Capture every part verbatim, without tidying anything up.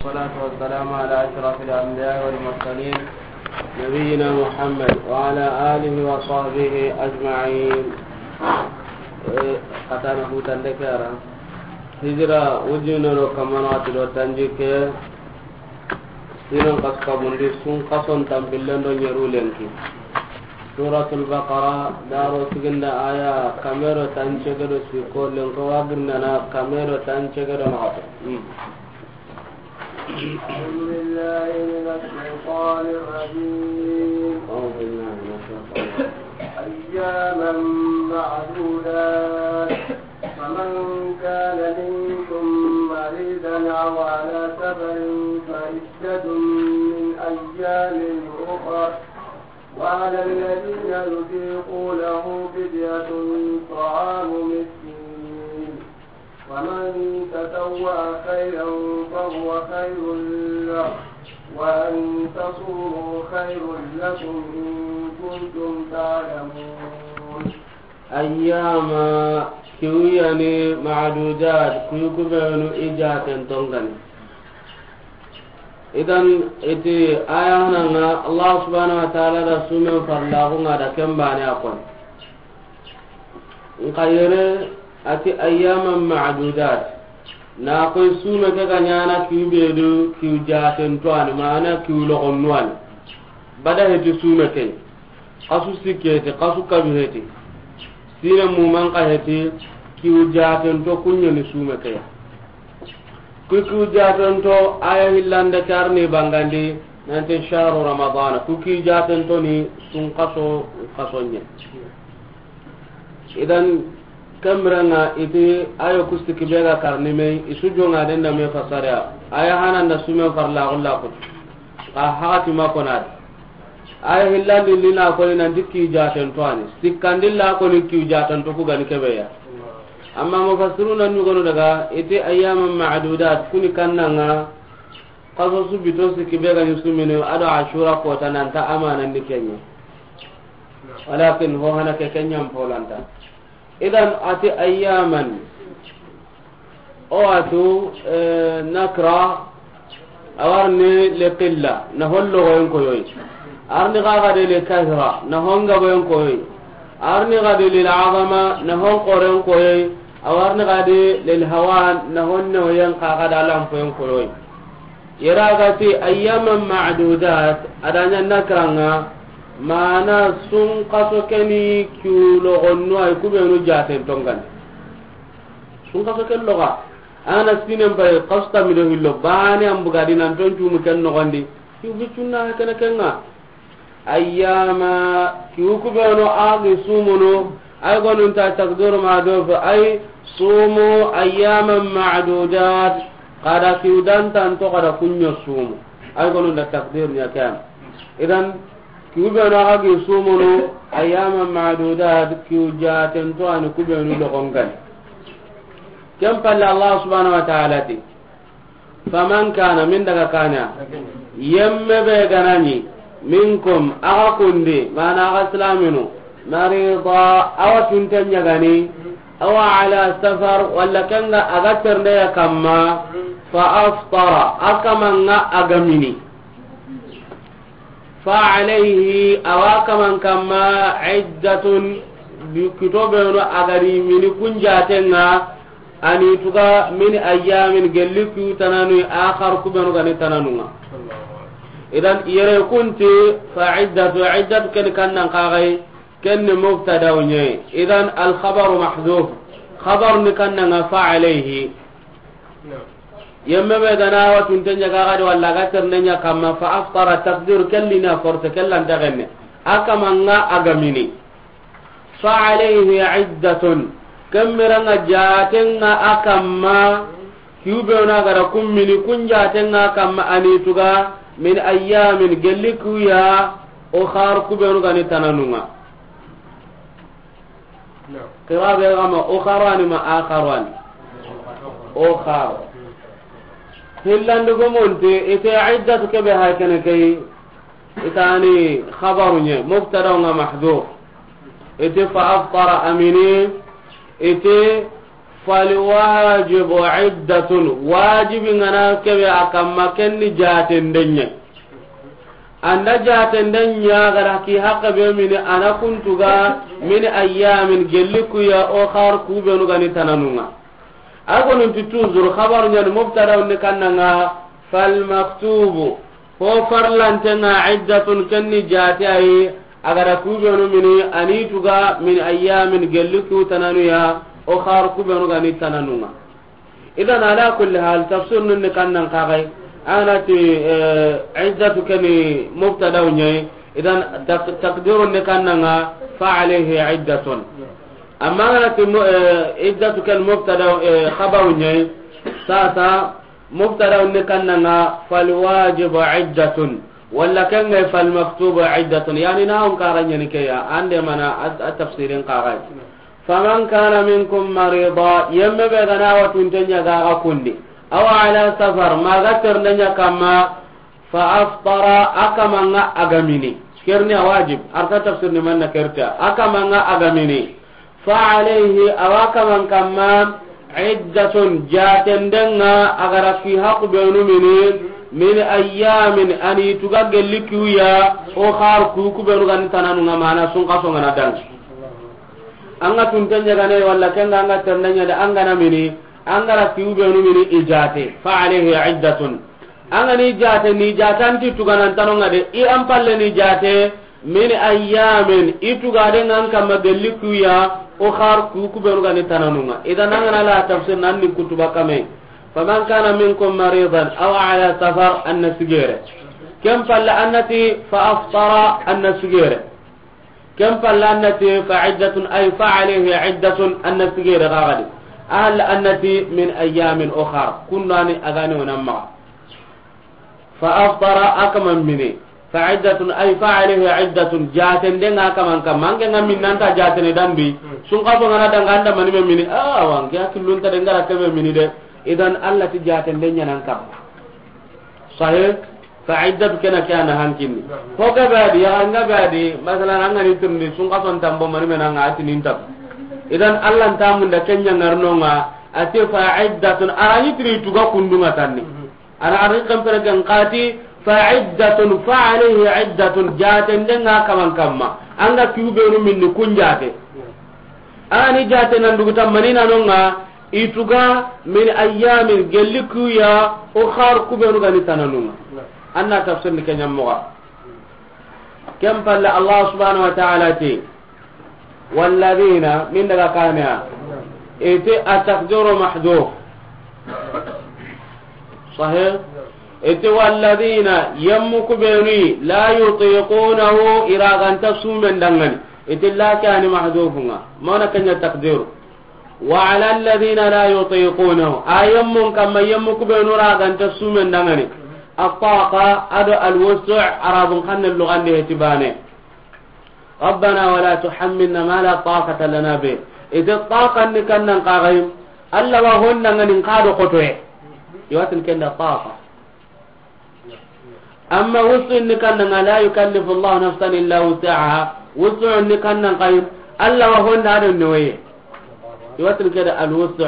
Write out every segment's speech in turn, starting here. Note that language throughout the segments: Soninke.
والصلاة والسلام على أشرف الأنبياء والمرسلين نبينا محمد وعلى آله وصحبه أجمعين. Eh, katana hutande kara. Hijira ujunero kamana tilo tanjike. Sinon kaskabundi sun kason tampillen do ɲeru lenki. Suratul Baqara, daro siginda aya kamero tancege do siko lenko waburnana kamero tancege do naxato. Hmm. أعوذ بالله من الشيطان الرجيم. أعوذ بالله من الشيطان الرجيم. أياما معدودات، فمن كان منكم مريضا أو على سفر فعدة من أيام أخر، وعلى الذين يطيقونه فدية طعام مسكين، ومن تطوع خيرا فهو خير له، وأن تصوموا خير لكم إن كنتم تعلمون. Ayyama, kiwuyani ma'dudat, kuyu kubenu i jaten tongani. Idan iti aya hananga Allah subhanahu wa ta'ala da sumen farlaxunga da kembane a kon. Nka yere ati ayyaman ma'dudat. Na koy sume ke ga ɲana kiw be do kiw jaten to ani, mana kiw logonnu ani. Bada heti sume ke. Xasu sikke heti, xasu kabi heti. Sine muman ka heti, kiw jaten to kuɲeni sume ke ya. Ku kiw jaten to aya hillande karni bangandi, nanti shahru Ramadan. Ku kiw jaten to ni sun xaso, xaso ɲe. Idan, kemranga iti ayo kusti kibe ga karni me, isu jonga den da me fasara. Aya hanan da sumen farlaxu la kut. Ka haqati ma konat. Aya hillandi lina koni nanti kiw jaten to ani. Sikkandi la koni kiw jaten to ku gani kebe ya. Amma mufassiruna ɲugono daga, iti ayyaman ma'dudat, kuni kannanga, xaso su bito sikki be gani sumini, ado Ashura kota nanta amanandi kenye. Walakin ho hana ke kenyan polanta. Idan ati ayyaman. O atu, eh, nakra, awarni li qilla, na hon logoyen koyoy. Arni gaga de li kathra, na hon gaboyen koyoy. Arni gadi lil azama, na hon koren koyoy. Awarni gadi lil hawan, na hon newoyen kaga da lampoyen koyoy. Yera gati ayyaman ma'dudat, adanya nakranga, mana sun kaso keni kiw logonnu ay kubenu jaten tongani. Sun kaso ken loga. Ana sinen pay kasta mido hillo, bani an bugadi nan ton cumu ken nogondi. Kiw bicunna kene kenga. Ayyama, kiw kubeno agi sumuno, ay gonunta takdiru mahdhuf, ay sumu ayyaman ma'dudat, kada kiw dantan to kada kunyo sumu. Ay gonunta takdir nya kan. Idan, kiw beno agi sumuno, ayyaman ma'dudat, kiw jaten to ani kubenu logongan. Ken palle Allah subhanahu wa ta'ala ti, faman kana, min daga kana, yemme be ganani, minkum, aga kundi, mana aga silaminu, marida, awa tunten ɲagani, awa ala safar, walla kenga aga ternde ya kamma, fa aftara, akamanga agamini. Fa alayhi, awa kaman kamma, iddatun, kito beno agari mini kunjatenga, ani tuga min ayyamin, gelli ku tananu, akhar kubenu gani tananunga. Idan yere kunti, fa iddatu, iddatu ken kannan kagai, ken ni mubtada unye. Idan al khabaru mahdhuf, khabar ni kannanga fa alayhi. Yemme be gana wa tunte ɲaga gadi walla ga terne ɲa kamma, fa aftara, takdir kelli na force kellan dagenne. Akamanga agamini. Fa alayhi iddatun. Kemmeranga jatenga akamma. Kiwbe ona gara kummini kun jatenga akamma anituga min ayyamin gelli kuya o khar kubenu gani tananunga. Qira be ga ma ukharani ma akharani. Ukhar. Hillandi gomonte ite iddatu kebe ha kene kay. Itani khabaru nye, mubtada nga mahdhuf. Ite fa aftara amini, ite Falwajibu iddatun, wajibi ŋa na kebe a kamma, ken ni jaatenden ɲa. An da jaatenden ɲa, a ga da ki haqqe be mini, a na kuntu ga min ayyamin, gelli ku ya, ukhar, ku benu ga ni tananu ŋa. A gonun ti toujours, xabaru ɲa ni mubtada ni kanna ŋa, falmaktubu, Ho farlante ŋa iddatun, ken ni jaate a yi, a ga da ku benu mini, a ni tu ga min ayyamin, gelli ku tananu ya, ukhar, ku benu ga ni tananu ŋa. Idan ala kulli hal, tafsir nun ni kannan kagai, a na ti, eh, iddatu ken ni mubtada ɲa yi, idan tak-, takdirun ni kanna ŋa, fa alayhi iddatun. Amma a na ti mu-, eh, iddatu ken mubtada, eh, xabaru ɲa yi, sasa, Mubtada ni kanna ŋa, falwajibu iddatun. Walla ken ŋa, falmaktubu iddatun. Yani na on kara ɲa ni ke ya, an de mana a, a tafsirin kagai. Faman kana minkum marida, yemme be ga na wa tunte ɲa ga ga kundi. Aw ala safar, ma ga ternde ɲa kamma, fa aftara, a kaman ŋa a ga mini. Ken ni a wajib, arta tafsir ni manna kerta. A kaman ŋa a ga mini. Fa alayhi, a wa kaman kamma, iddatun, jaatenden ŋa, a ga da ki haqqu benu mini, min ayyamin, a ni tu ga gelli ku ya, ukhar, ku, ku benu ga ni tananu ŋa, mana sunkaso ŋa na daŋa. An ga tunte ɲa ga ne, walla ken ŋa an ga ternde ɲa de, an ga na mini, an ga da ki benu mini, i jaate. Fa alayhi iddatun. An ga ni jaate, ni jaate an ti tuganan tano ŋa de, i an palle ni jaate, min ayyamin, i tugade ŋa an kamma gelli ku ya, ukhar, ku, ku benu ga ni tananu ŋa. Idan an ga na la tafsir nan ni kutuba kame. Faman kana minkum maridan aw ala safar, an na sigere. Ken palle an na ti fa aftara, an na sigere. Ken palle an na ti fa iddatun, ay fa alayhi iddatun, an na sigere ga ga di. Ahal an na ti min ayyamin ukhar. Kundani a ga ni o nan maxa. Fa aftara, a kaman mini. Fa iddatun, ay fa alayhi iddatun, jaatenden ŋa a kaman kamma. An ke ŋa min nan ta jaatene danbi. Sunkaso ŋa na daŋa an da mani me mini. Ah, wa an ke a killun ta de, n ga da kebe mini de. Idan Allah ti jaatenden ɲa na an kamma. Sahih? Fa iddatu ken na ke a na hankinni. Ho ke be a di, ya ŋa be a di, masalan, an ga ni tirindi, sunkason tambo mani me na ŋa a ti nin tam. Idan Allah nta munda ken ɲa ŋarno ŋa, a ti fa iddatun, a ra ni tiri tu ga kundu ŋa tanni. Ana ari kempere gen kati, fa iddatun, fa alayhi iddatun, jaatenden ŋa kaman kamma. An ga ki benu minni kun jaate. A ni jaate nan dugu ta mani na no ŋa, i tu ga min ayyamin, gelli ku ya, ukhar, ku benu ga ni tananu ŋa. An na tafsir ni ke ɲa moxo. Ken palle Allah subhanahu wa ta'ala ti, walladhina, min daga kaniya, iti at-taqdiru mahdhuf. Sahih? Iti walladhina, yemmu ku benu, la yutiqunahu, i ra ga nta sumen daŋani. Iti la ke a ni mahdhufu ŋa. Mana ken ɲa taqdiru. Wa ala alladhina la yutiqunahu. A yemmun kamma yemmu ku benu ra ga nta sumen daŋani. At-taqa ado al-wus'u, Arabun xannen luxan di heti bane. Rabbana wala tuhammilna ma la taqata lana bih. Iti taqa ni kannan kagai. Allah wa hon daŋani n xa do xotoye. I wa tin ken da taqa. Amma wus'u ni kannan ŋa, la yukallifu Allahu nafsan illa wus'aha. Wus'u ni kannan kagai, Allah wa hon da a do newoye. I wa tin ke da al-wus'u.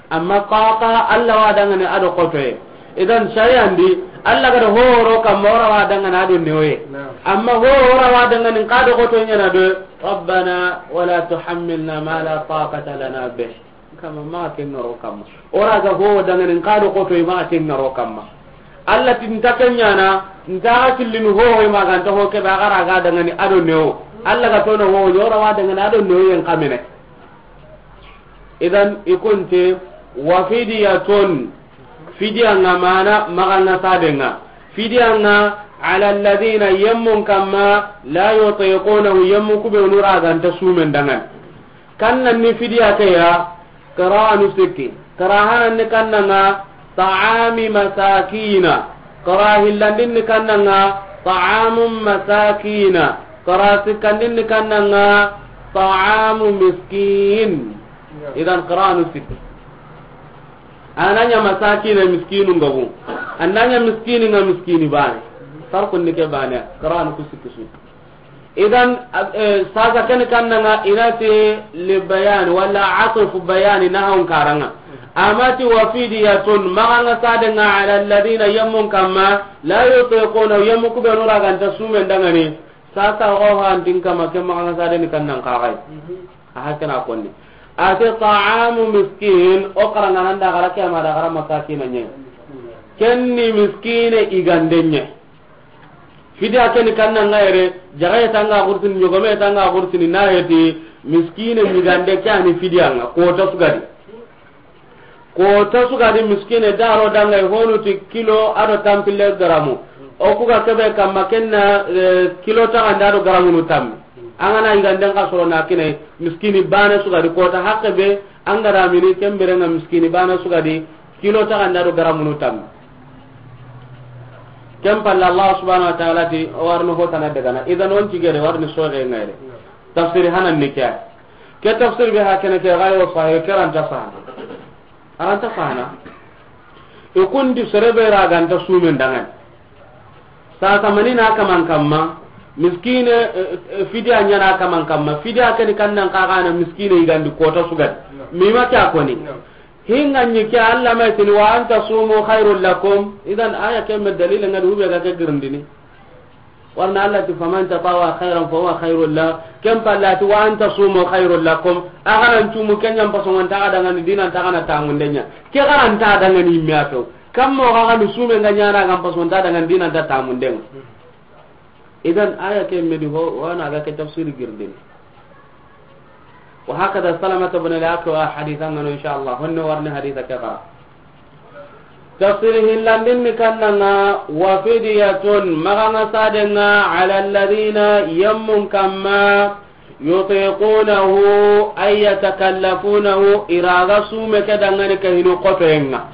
Amma taqa, Allah wa daŋani a do xotoye. Idan shari'an di, Allah ga da horo kamma, o ra wa daŋani a do newoye. Amma horo ra wa daŋani n xa do xotoye ɲa na do, Rabbana wala tuhammilna ma la taqata lana bih. Kamma, maxa ken ŋaro kamma. O ra ga ho daŋani n xa do xotoye, maxa ken ŋaro kamma. Allah ti nta ken ɲa na, nta ga killini ho, ho ma ga nta ho ke be a ga ra ga daŋani a do newo. Allah ga tono ho, o ra wa daŋani a do newoyen kamene. Idan i kunte wa fidiyatun, fidiya ŋa mana maxa ŋa sade ŋa. Fidiya ŋa ala alladhina, yemmun kamma, la yutiqunahu, yemmu ku benu ra ga nta sumen daŋani. Kannan ni fidiya ke ya, qira'anu sikki. Qira hanan ni kannan ŋa, ta'ami masakina. Qira hillandin ni kannan ŋa, ta'amu masakina. Qira sikkandin ni kannan ŋa, ta'amu miskin. Idan qira'anu sikki. A na ɲa masakina, miskinu ngabu. A na ɲa miskini ŋa, miskini bane. Farqun ni ke bane. Qira'anu ku sikki su. Idan, eh, sasa ken kannanga inati li bayan wala atfu bayani na hon karanga. Amati wa fidiyatun, maxa nga sadenga ala alladhina, yemmun kamma, la yutiquna, yemmu kubenu raganta sumen dangani. Sasa ho hantin kama ke maxa nga sadeni kannan kaxay. A hakana konni. Ati ta'amu miskin, o karanga nan da gara ke ma da gara masakina nye. Kenni miskine igande nye. Fidiya keni kanna nga yere, jagaye tanga kursini, ɲogome tanga kursini, na heti, miskine ɲigande ke ani fidiya nga, kota sugadi. Kota sugadi miskine daro danga honu ti kilo ado tampille garamu. O kuga kebe kamma kenna, eh, kilo taganda do garamu nu tammi. Angana yiganden ka soro na kine, miskini bana sugadi kota hakke be, angara mini kembere nga miskini bana sugadi, kilo taganda do garamu nu tammi. Ken palle Allah subhanahu wa ta'ala ti, o warno hotana dagana. Idan on tigere warni soge ngayre. Tafsiri hanan ni kya. Ke tafsir be hakene ke gayo sahih karanta fahana. Aranta fahana. E kundi serebe raganta sumen dangan. Sasa mani na kaman kamma, miskine, eh, eh, fidiya ɲana kaman kamma, fidiya keni kannan kagana miskine igandi kota sugan. Mima kya koni. Hinga ɲi ke Allah ma tini wa anta sumu khairul lakum. Idan aya ke me dalil ngadi hube ga ke girindini. Warna Allah ti faman tatawwa khairan fa huwa khairul la. Ken pallati wa anta sumu khairul lakum. Agaran tumu kenya mpaso ngan ta dangani dinan ta kana tamundenya. Ke garan ta dangani miato. Kammo ga ganu sume nga ɲana ga mpaso nta dangani dinan ta tamundenga. Idan aya ke medi ho, wana ga ke tafsir girdin. Wa hakada Salamata bin al-Akwa haditha ngano, insha Allah. Honno warni haditha ke kara. Tafsir hillandin ni kannanga, wa fidiyatun, maxa nga sadenga, ala alladhina, yemmun kamma, yutiqunahu, ay yatakallafunahu, iraga sume ke dangani ke hinu kotoyenga.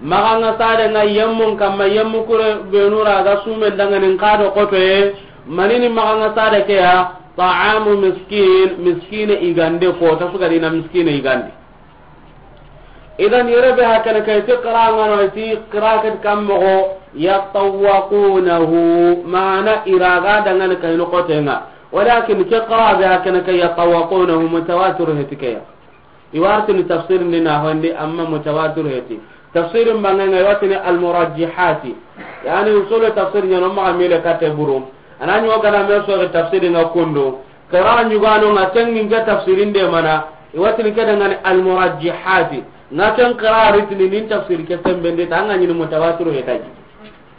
Maxa nga sadenga yemmun kamma, yemmu kure benu raga sumen dangani nkado kotoye, manini maxa nga sade ke ya, ta'amu miskin, miskine igande kota sugadina miskine igande. Idan yere be hakana kay ti qira ngano ti qira kat kam mogo yatawaqunahu, mana iraga dangan kay no kotenga. Walakin ke qira be hakana kay yatawaqunahu mutawatir heti ke ya. Iwartini tafsir ndi na hondi amma mutawatir heti. Tafsir mbanga ngai watini almurajjihati. Yani usulu tafsir nyano ma mile kate buru. Anani o gana me so tafsir nga kundo. Qira ɲugano nga tengin ke tafsirin de mana, iwatini ke dangani almurajjihati. Nga ken qira ritini nin tafsir ke sembende ta nga ɲini mutawatir hetaji.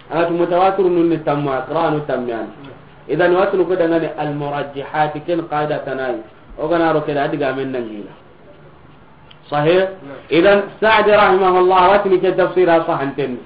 Anga tu mutawatir nun ni tamma, qira nu tammiyan. Idan iwatini ko dangani almurajjihati ken qaida tanai. O gana ro ke da diga men nangina. Sahih? Idan Sa'di rahimahullah watini ke tafsira sahanten.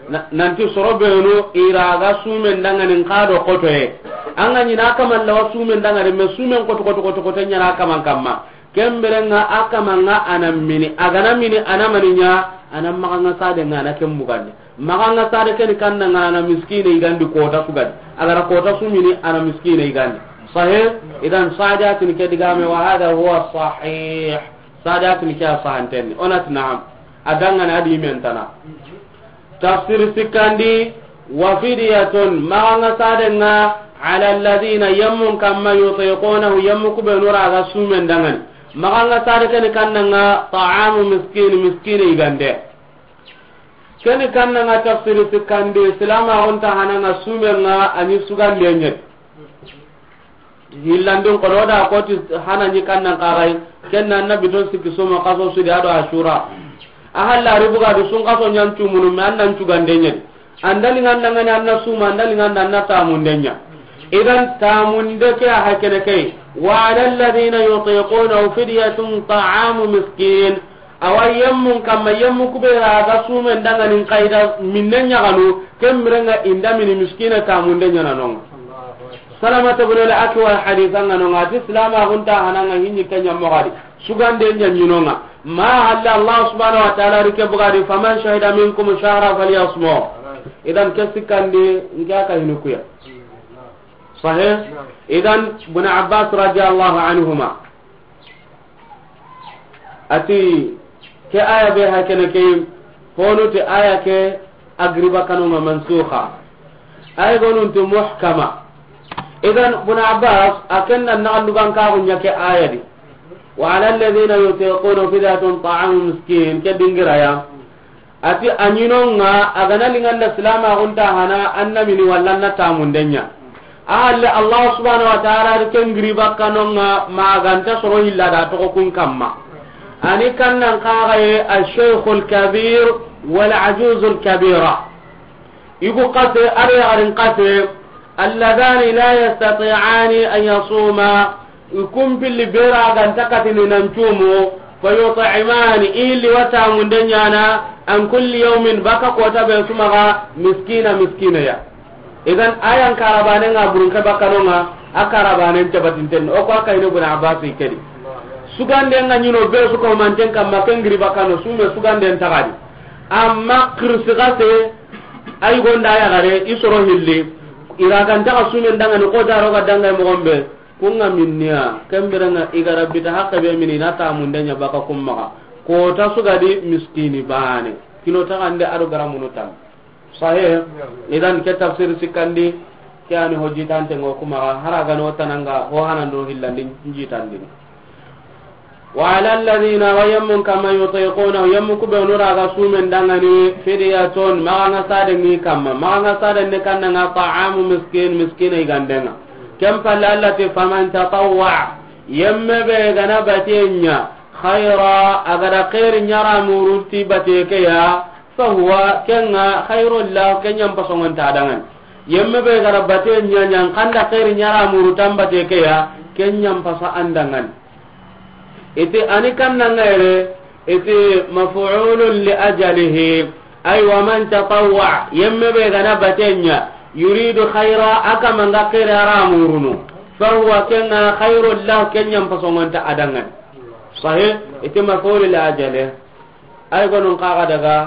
Na-, nanti soro benu iraga sumen danganin kado kotoye. Anga ɲina kaman lawa sumen dangare me sumen koto koto koto koto ɲana kaman kamma. Kemberenga akamanga ana mini. Agana mini ana maninya ana maganga sade ngana kembugande. Maganga sade keni kanna ngana miskine igandi kota sugandi. Agara kota sumini ana miskine igandi. Sahih? Idan Sa'di atini ke digame wa hadha huwa sahih. Sa'di atini ke sahanten. Onat na'am. Adangana adi mentana. Tafsir sikandi, wa fidiyatun, maganga sadenga, ala alladhina yammun kamma yutiqunahu, yammu kubenu raga sumen dangan. Maganga sade keni kannanga, ta'amu miskin, miskine igande. Keni kannanga tafsir sikandi, silama onta hananga sumenga, ani sugande nyet. Hillandin kono da koti hana ni kannan kagai, kenna annabi ton sikki soma kaso sudi ado ashura. A halla ribuga du sun kaso nyan tumunu me annan cugande nyen. Andali nganda ngani anna suma, andali nganda anna tamundenya. Idan tamunde ke a hakene kai. Wa ala alladhina yutiqunahu fidyatun ta'amu miskin. Awa yemmun kamma yemmu kubera aga sumen danganin kaida minne ɲaganu, kemmirenga inda mini miskina tamunde ɲananonga. Salamata bin al-Akwa haditha nga nonga, ati silama hunta hananga hinni kenya mogadi. Sugande nya nyinonga. Ma halla Allah subhanahu wa ta'ala rike bugadi, faman shahida minkum shahra falyasmu. Idan ke sikandi nka ka hinukuya. Sahih? Idan Ibn Abbas radiyallahu anhuma. Ati ke aya be hakene ke honu ti aya ke agriba kanunga mansukha. Aya gonun ti muhkama. Idan, Ibn Abbas, a ken na naxallugan kaxu ɲa ke aya di. Wa ala alladhina yutiquna fidyatun ta'amu miskin, ke dingira ya. A ti a ɲinonga, a ga na linganda silamaxun ta hana, an na mini walla an na tamunden ɲa. A halle Allah subhanahu wa ta'ala di ken giri bakkanonga, ma ganta soro hilla da toxo kun kamma. A ni kannan kaxaye, al-shaykhul kabir wal ajuzul kabira. Igu kase, ar yaxarin kase, alladhani la yastati'ani an yasuma, i kumpilli bera ganta katini nan cumu, fa yut'imani, i liwa tamunden ɲana, an kulli yawmin, baka kota be sumaga, miskina, miskina ya. Idan ayan karabanen nga burun ke bakkanonga, a karabanen cabatinten, o ko a kayne Ibn Abbas kedi. Suganden nga ɲino be su ko manten kamma ken giri bakkano, sume suganden tagadi. Amma kirsi kase, ay gonda ya gare, i soro hilli, i ra ganta ka sumen dangani, ko daro ga dangay mo gombe, kunga minniya, kemberenga i ga rabbi ta hakke be mini na tamunden ɲa baka kummaga. Kota sugadi miskini bane. Kilo taxande ado garamunu tan. Sahih. Idan ke tafsir sikkandi, ke ani ho jitante ngo kuma hara gano tananga ho hanando hillandi jitandi. Wa ala alladhina, wa yammun kama yutiquna, yammu kube onura ga sumen dangani fidyatun, maga nga sade ni kamma, maga nga sade ne kannanga ta'amu miskin, miskina igandenga. Ken palle Allah ti faman tatawwa, yemme be gana batenya, khaira, agada khairi ɲara muruti bateke ya, fahuwa, kenga khairul lah, kenyan pasongon ta dangan. Yemme be gara bate ɲaɲan kanda khairi ɲara muru tambate ke ya, kenyan pasa andangan. Ite ani kanna ngere, ite maf'ulun li ajalihi, ay wa man tatawwa, yemme be gana bate ɲa, yuridu khaira, aka manga khairi ara murunu, fahuwa, kenga khairul lah, kenyan pasongon ta adangan. Sahih, ite maf'ul li ajalihi. Ay gonun kaga daga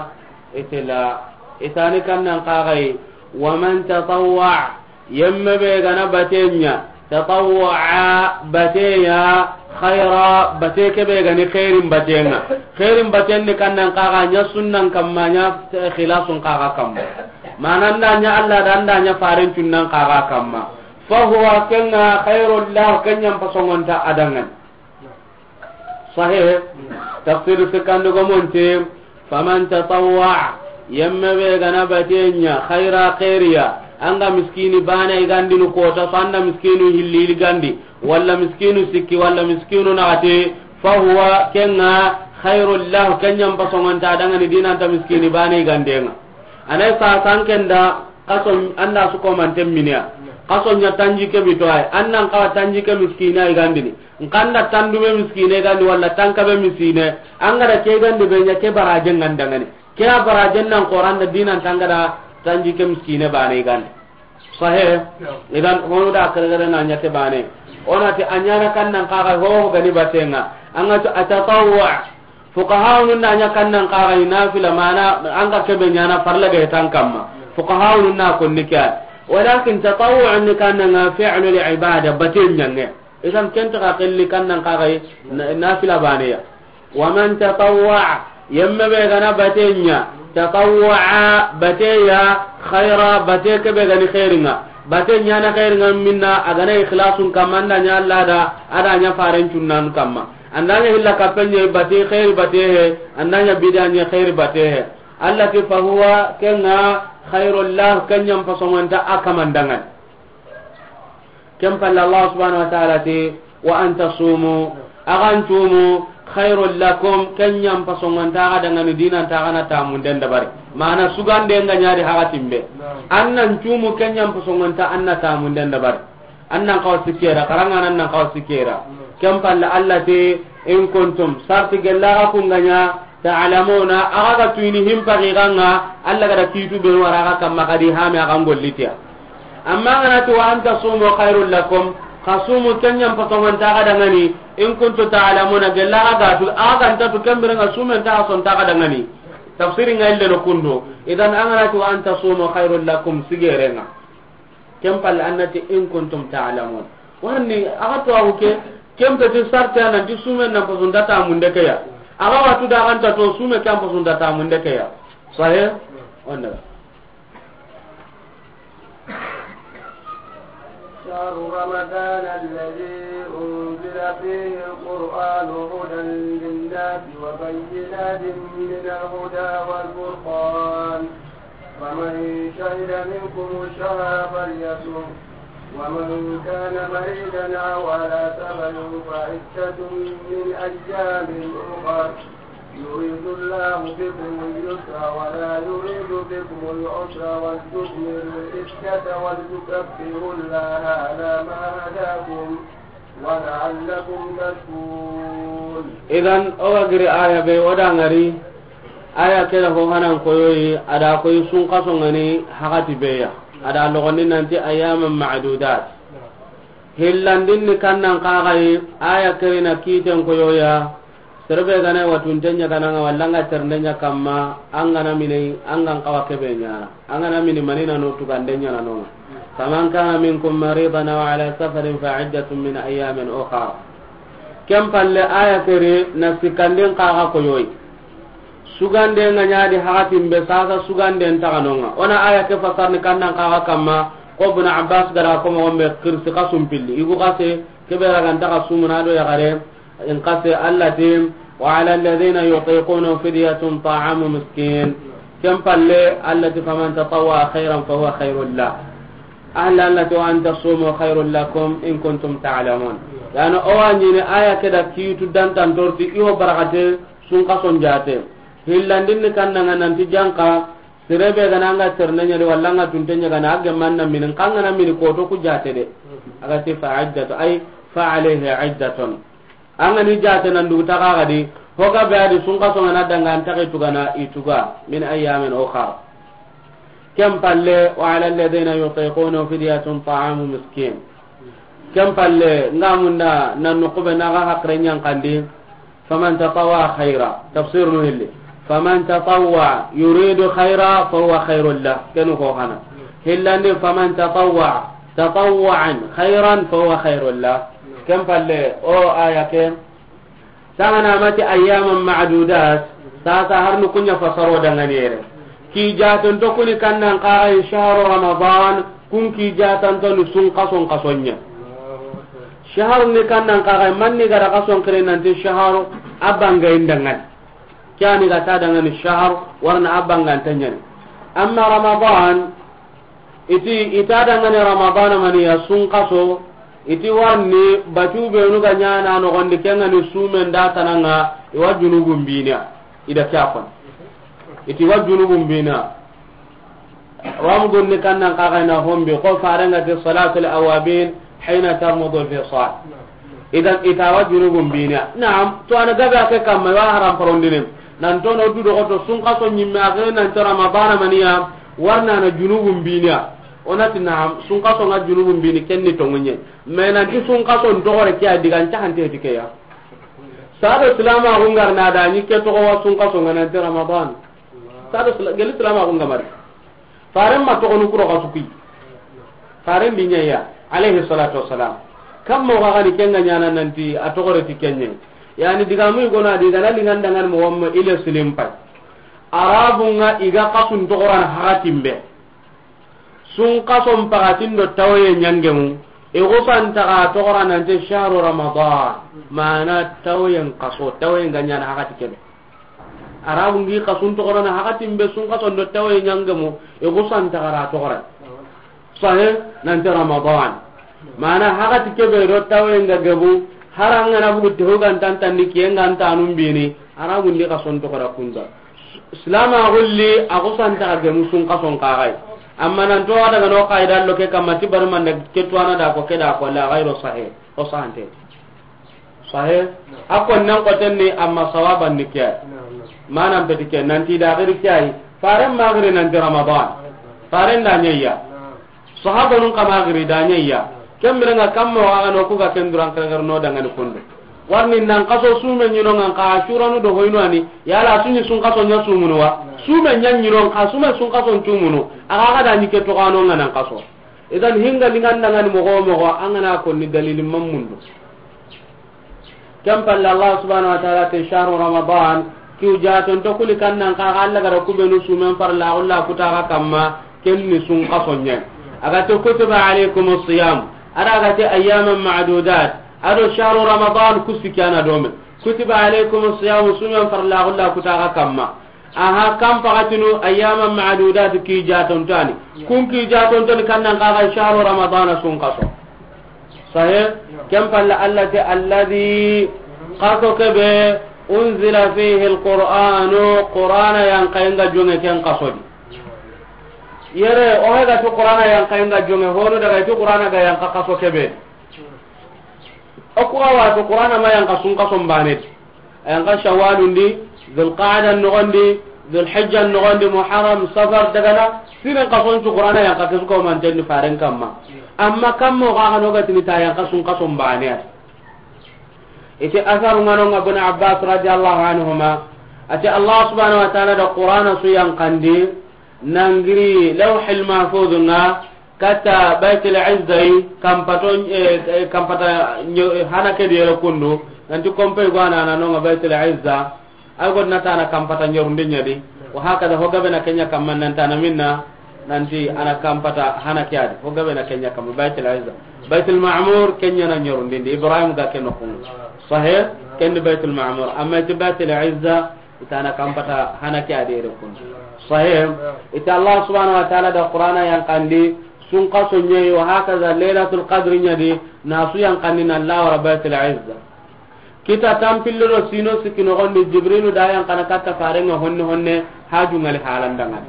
itela, itani kannan kagai, wa man tatawwa, yemme be gana batenya, tatawwa, bateya, khaira, bate kebe gani khairin batenga. Khairin baten ni kannan kaga nya sunnan kamma nya khilasun kaga kamma. Mananda nya Allah danda nya farin tunnan kaga kamma. Fahuwa kenga khairul lah, kenyan pasongonta adangan. Sahih. Tafsir sikandi gomonte, faman tatawwa, yemme be gana batenya, khaira khairiya, anga miskini bana igandinu kota, so anda miskinu hilli gandi, walla miskinu sikki, walla miskinu nagate, fahuwa, kenga, khairul lah, kenyan pasongonta dangani dinanta miskini bana igandenga. Anay sa sankenda, kaso anda su ko manten minia. Kaso nya tanji ke bito ay, annan kawa tanji ke miskina igandini. Nkanda tandume miskine gandi walla tankabe miskine. Angada ke gandi be nya ke barajen ngandangani. Ke a barajen nan Qur'an da dinan tangada tanji ke miskine bane gandi. Sahih. Idan hono da kare na nya te bane. Ona te anyana kannan kaga ho gani batenga. Anga to atatawwa. Fuqahaunun na nya kannan kaga nafila mana anga kebe nyana farla ga tan kamma. Fuqahaunun na konni kya. Walakin tatawwu ni kannan fi'lul ibada baten nyange. Idan kenta ka kelli kannan kagai na-, nafila baneya. Wa man tatawwa, yemme be gana batenya, tatawwa bateya, khaira bate kebe gani khairinga. Batenya na khairinga minna agana ikhlasun kamma anda nya Allah da, ada nya faren cunnan kamma. Andanya hilla kapenya bate khairi bate he, andanya bidanya khairi bate he. Allah ti fahuwa kenga khairul lah, kenyam pasongonta akamandangan. Ken palle Allah subhanahu wa ta'ala ti, wa an tasumu, agan tumu, khairul lakum, kenyam pasongonta aga dangani dinanta aga na tamunden dabari. Mana sugande nga nyari haga timbe. Annan tumu kenyam pasongonta anna tamunden dabari. Annan kawa sikera, karanga nan kawa sikera. Ken palle Allah ti, in kuntum, sarti gella aga kunganya, ta'lamuna, aga ga tuyini himpa giganga, Allah gada kitu be wara aga kamma kadi hame aga ngollitiya. Amma ngana ti wa an tasumu khairul lakum, khasumu kenyam pasongonta aga dangani, in kuntum ta'lamuna, gella aga tu, aga ntatu kembere nga sumen ta sonta aga dangani. Tafsiri nga ille no kundo. Idan angana ti wa an tasumu khairul lakum sigerenga. Ken palle annati in kuntum ta'lamun. Warni aga to awu ke, ken peti sarti anan ti sumen nan pasunta tamunde ke ya. Aga watu da ganta to sume kan pasunta tamunde ke ya. Sahih? Onda. شهر رمضان الذي أنزل فيه القرآن هدى للناس وبينات من الهدى والفرقان، فمن شهد منكم الشهر فليصمه، ومن كان مريضا أو على سفر فعدة من أيام أخر، يريد الله بكم اليسر ولا يريد بكم العسر، ولتكملوا العدة ولتكبروا الله على ما هداكم ولعلكم تشكرون. Idan, o ga giri aya be, o da ŋari, aya ke da ho hanan koyoyi, a da koyi sunkaso ŋa ni hakati be ya, a da logondi nanti ayyaman ma'dudat. Hillandin ni kannan kaxayi, aya ke ri na kiten koyoya, Serebe gana wa tunte ɲa kananga walla nga ternde ɲa kamma, an gana mini, an gan kawa kebe ɲana. An gana mini manina no tugande ɲana no. Faman kana minkum maridan aw ala safarin fa iddatun min ayyamin ukhar. Ken palle aya ke ri na sikandin kaga koyoyi. Sugande nga ɲadi hakatin be sasa sugande ntaganonga. Ona aya ke fasarni kannan kaga kamma, ko Ibn Abbas gara ko mo be kirsi kasum pilli. Igu kase, kebe raganta kasumuna do yagare, In kase Allah ti, wa ala alladhina yutiqunahu fidyatun ta'amu miskin. Ken palle Allah ti, faman tatawwa khairan fa huwa khairul lah. Ahla Allah ti, wa an tasumu khairul lakum in kuntum ta'lamun. Yani o wa ɲini aya ke da kitu dantan torti iyo barakate sunkason jate. Hillandin ni kannanga nanti janka, serebe gana nga terne ɲa di walla nga tunte ɲa gana a gemmanna minin kangana mini koto ku jate de. Aga ti fa iddatu ay fa alayhi iddatun. An ga ni jate nan dugu taga ga di, ho ga be a di sunkaso nga na danga an taxe tugana i tuga, min ayyamin ukhar. Ken palle, wa ala alladhina yutiqunahu fidyatun ta'amu miskin. Ken palle, nga munda nan nukube na ga hakre ɲankandi, faman tatawwa khaira, tafsir nu hilli. Faman tatawwa yuridu khaira fa huwa khairul lah. Kenu ko hana. Hillandi faman tatawwa tatawwu'an khairan fa huwa khairul lah. Ken palle o aya ke. Sangana mati ayyaman ma'dudat. Sasa har nu kunya fasaro dangani yere. Ki jaton to kuni kannan kaga shahru Ramadan, kun ki jatan to ni sunkason kasonya. Shahru ni kannan kaga manni gara kason kire nanti shahru abanga indangan. Kyani ga ta dangani shahar warna abanga tanyani. Amma Ramadan, iti ita dangani Ramadan mani ya sunkaso, iti warni batu benu ga ɲana no gondi kengani sumen da tananga iwa junubun bina. Ida kyafan. Iti wa junubun bina. Wa mu gonni kannan kaga na hombi ko farenga ti salatul awabin hina tarmudu al fisal. Idan ita wa junubun bina. Naam, to ana gabe ake kamma wa haram parondine. Nan to no du do to sunkaso nyimme ake nan to Ramadan maniya warna na junubun bina. Onati naam, sunkaso nga junubun bini kenni to ngunye. Me nan ti sunkaso ntogore kiya digan ta hante tikeya. Sado silama gungar na da ni ke to wa sunkaso nga nan ti Ramadan. Sado sila-, geli silama gunga mari. Faren ma togonu kuro ga suki. Faren di ɲa ya, alayhi salatu wassalam. Kam mo ga gani kenga ɲana nanti a togore ti kenye. Yani digamu gona diga na lingan dangan mo wamma ile silim pay. Arabun nga iga kasun togoran hakatimbe. Sunkason pagatin do tawaye ɲangemu. Igu santa ga togora nanti shahru Ramadan. Mana tawayen kaso, tawayen ga ɲana hakati kebe. Arabu ngi kasun togorana hakatin be sunkason do tawaye ɲangemu, igu santa gara togora. Sahe, nanti Ramadan. Mana hakati kebe do tawaye nga gebu, haranga na bugu tehu gantan tanni kiye ngantanun bini, Arabu ndi kason togora kunda. Silama gulli, agu santa gemu sunkason kagai. Amma nan to daga no qaida lo ke kamma ti barman da ke to ana da ko ke da ko la ghairu sahih. O sahante. Sahe, a kon nan koten ni amma sawaban ni ke. Manan peti ke nanti da giri ke ay. Faren ma giri nanti Ramadan. Faren da ɲayya. Sahabanun kama giri da ɲayya. Kembere nga kamma wa ano kuga kenduran kere no dangani kondo. Warni nan kaso sume ɲino ngan ka Ashuranu do hoyno ani. Yala sunyi sunkaso ɲa sumunu wa. Sume ɲa ɲino ka sume sunkaso tumunu. Aga ga da ni ke to kano nga nan kaso. Idan hinga lingan dangani mogo mogo angana konni dalili mamundo. Ken palle Allah subhanahu wa ta'ala te shahru Ramadan, kiw jaton to kuli kannan ka Allah gara kubenu sumen farla Allah kutaga kamma, ken ni sunkason ɲa. Aga to kutiba alaykumus siyam, A da ga ti ayyaman ma'dudat. A do shahru Ramadan ku sikki a na do me. Kutiba alaykumus siyam, sumen farla gulla ku ta ga kamma. Aha, kan paxatinu ayyaman ma'dudat, ki jatontani. Kun ki jatontani kan nan kaga shahru Ramadan, sun kaso. Sahih? Ken palla Allah ti alladhi, kaso kebe, unzila fihi alqur'anu, Qur'ana yan kayenga jonge ken kaso di. Yere, o hega tu Qur'ana yan kayenga jonge, hono daga tu Qur'ana ga yan ka kaso kebe. O ku ga wa tu Qur'ana ma yan ka sun kaso mbane. A yan ka Shawwalun di, Dhul Qa'da noxon di, Dhul Hijja noxon di, Muharram, Safar, daga na, siren kason cu Qur'ana yan ka ke su ko manten di faren kamma. Amma kammo ga ga no ga tini ta yan ka sun kaso mbane. Ite asaru ngano nga Ibn Abbas radiyallahu anhuma. Ati Allah subhanahu wa ta'ala da Qur'ana su yan kandi, nangiri Lawhil Mahfuz nga, kata Baitul Izza yi, kampato, eh, eh, kampata nyo-, eh, hana ke di yere kundu, nanti kompe gwana na nonga Baitul Izza, ay god na tana kampata nyorundi nyadi, wa hakada ho gabe na kenya kamma nan tana minna, nanti ana kampata hana ke adi, ho gabe na kenya kamma Baitul Izza. Baitul Ma'mur kenya na nyorundi ndi, Ibrahim ga ke no kun. Sahih, ken di Baitul Ma'mur, amma iti Baitul Izza, itana kampata hana ke adere kun. Sahih. Ita Allah subhanahu wa ta'ala da Qur'ana yan kandi, sun kaso nyi, wa hakaza Lailatul Qadr nyadi, na su yan kandi na Allah wa Baitul Izza. Kita tampillo do sino sikki noxon di Jibrilu da yan kana katta farenga honne honne, haju ngali halan dangan.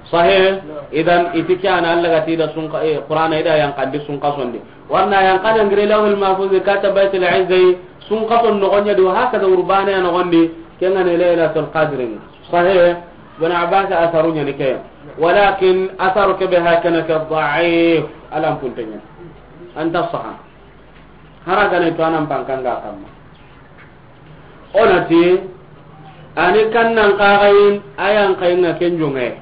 Sahih. Idan iti ke ana Allah ga ti da sun ka-, eh, Qur'ana ida yan kandi sun kason di. Warna yan kana ngire Lawhil Mahfuz kata Baitul Izza, sun kason noxon nyadi, wa hakaza urbane noxon di, kengane Lailatul Qadr. Sahih. Ibn Abbas asaru nyani ke. Walakin asaru ke be hakana ke da'if. Alam puntenya. Anta saha. Hara gane to anan pankanga kamma. Onati, ani kannan kagayin, ayan kayinga ken jonge.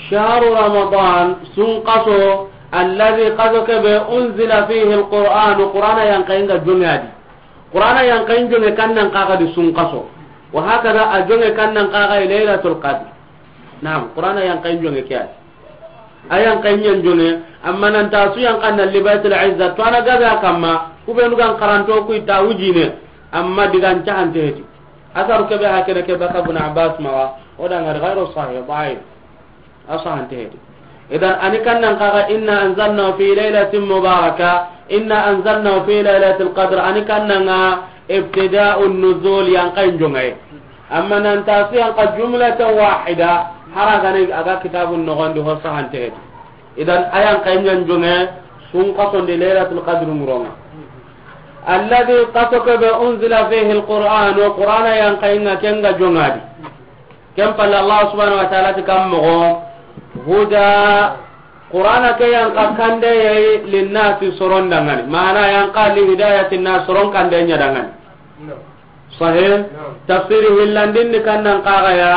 Shahru Ramadan, sun kaso, alladhi kaso kebe, unzila fihi alquran, Qur'ana yan kayinga jonge adi. Qur'ana yan kayin jonge kannan kaga di sun kaso. Wa hakada a jonge kannan kaga Lailatul Qadr. Naam, Qur'ana yan kayin jonge ke adi. Ayan kayin yan jonge, amma nan ta su yan kanna li Baitul Izza, to ana gabe a kamma, ku be nugan karanto ku ita wujine, amma digan cahante heti. Asaru kebe hakene ke baka Ibn Abbas mawa, o da ngar ghairu sahih, da'if. Asahante heti. Idan ani kannan kaga inna anzalnahu fi lailatin mubaraka, inna anzalnahu fi lailatul qadr, ani kannanga ibtida'un nuzul yan kayin jonge. Amma nan ta su yan ka jumlatan wahida, hara gane aga kitabun noxon di ho sahante heti. Idan ayan kayin yan jonge, sun kason di Lailatul Qadr nguronga. Alladhi kaso kebe unzila fihi alquran, wa Qur'ana yan kayinga kenga jongadi. Ken palle Allah subhanahu wa ta'ala ti kam moxo, huda, Qur'ana ke yan ka kande yayi linnasi soron dangani. Mana yan ka li hidayati nas soron kande nya dangani. Sahih. Tafsiri hillandin ni kannan kaga ya,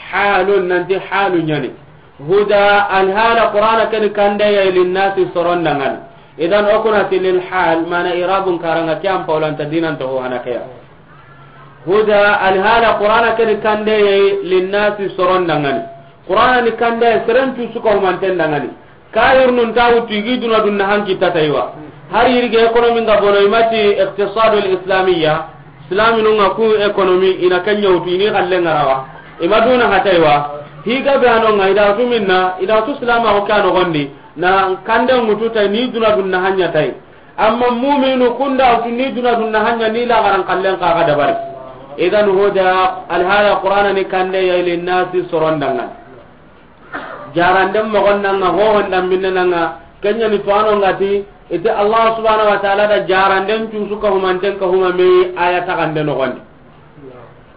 halun nanti halu nyani. Huda, alhala Qur'ana ke ni kande yayi linnasi soron dangani. Idan o kuna ti lil hal, mana irabun karanga kiyam paulanta dinan to ho hana ke ya. Huda, alhala Qur'ana ke ni kande yayi linnasi soron dangani. Qur'ana ni kande seren tu suka humanten dangani. Kayirnun ta wutu igi duna dunna hanki tataiwa. Har yirige ekonomi nga bono imati iqtisadul islamiyya. Islaminu nga ku ekonomi ina kenya wutu ini kalle ngarawa. Ima duna hataiwa. Higa be ano nga ida tu minna, ida tu silama ko kano gondi. Na kande ngutu ta ni duna dunna hanya tai. Amma muminu kunda wutu ni duna dunna hanya ni la garan kallen ka ga dabari. Idan huda, alhala Qur'ana ni kande yayi linnasi soron dangan. Jaranden mogon nanga, hohon dambinne nanga, kenya ni tuwano ngati, ite Allah subhanahu wa ta'ala da jaranden cusu ka humanten ka humame aya tagande nogondi.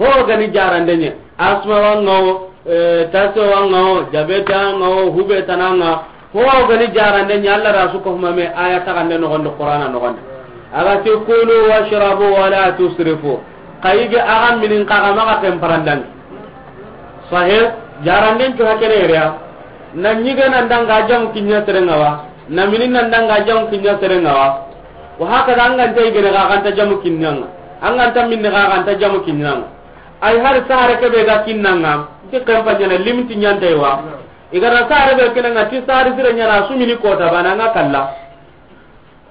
Ho gani jarande nye, asma wanga o, eh, taso wanga o, jabeta wanga o, hubeta nanga, ho gani jarande nye, Allah da su ka humame aya tagande nogondi, Qur'ana nogondi. Aga ti kulu washrabu wala tusrifu. Kayige aga minin kaga maga ken parandang. Sahih, jaranden cu hakene yere ya. Na nyige nan danga jamu kinya serenga wa. Na minin nan danga jamu kinya serenga wa. Wa hakada an ganta yigene ga ganta jamu kinyanga. An ganta minne ga ganta jamu kinyanga. Ay har sahare kebe ga kinnanga. Ti kempa nyana limiti nyanta wa. Igara sahare be kinanga ti sahare sire nyana sumini kota bana nga kalla.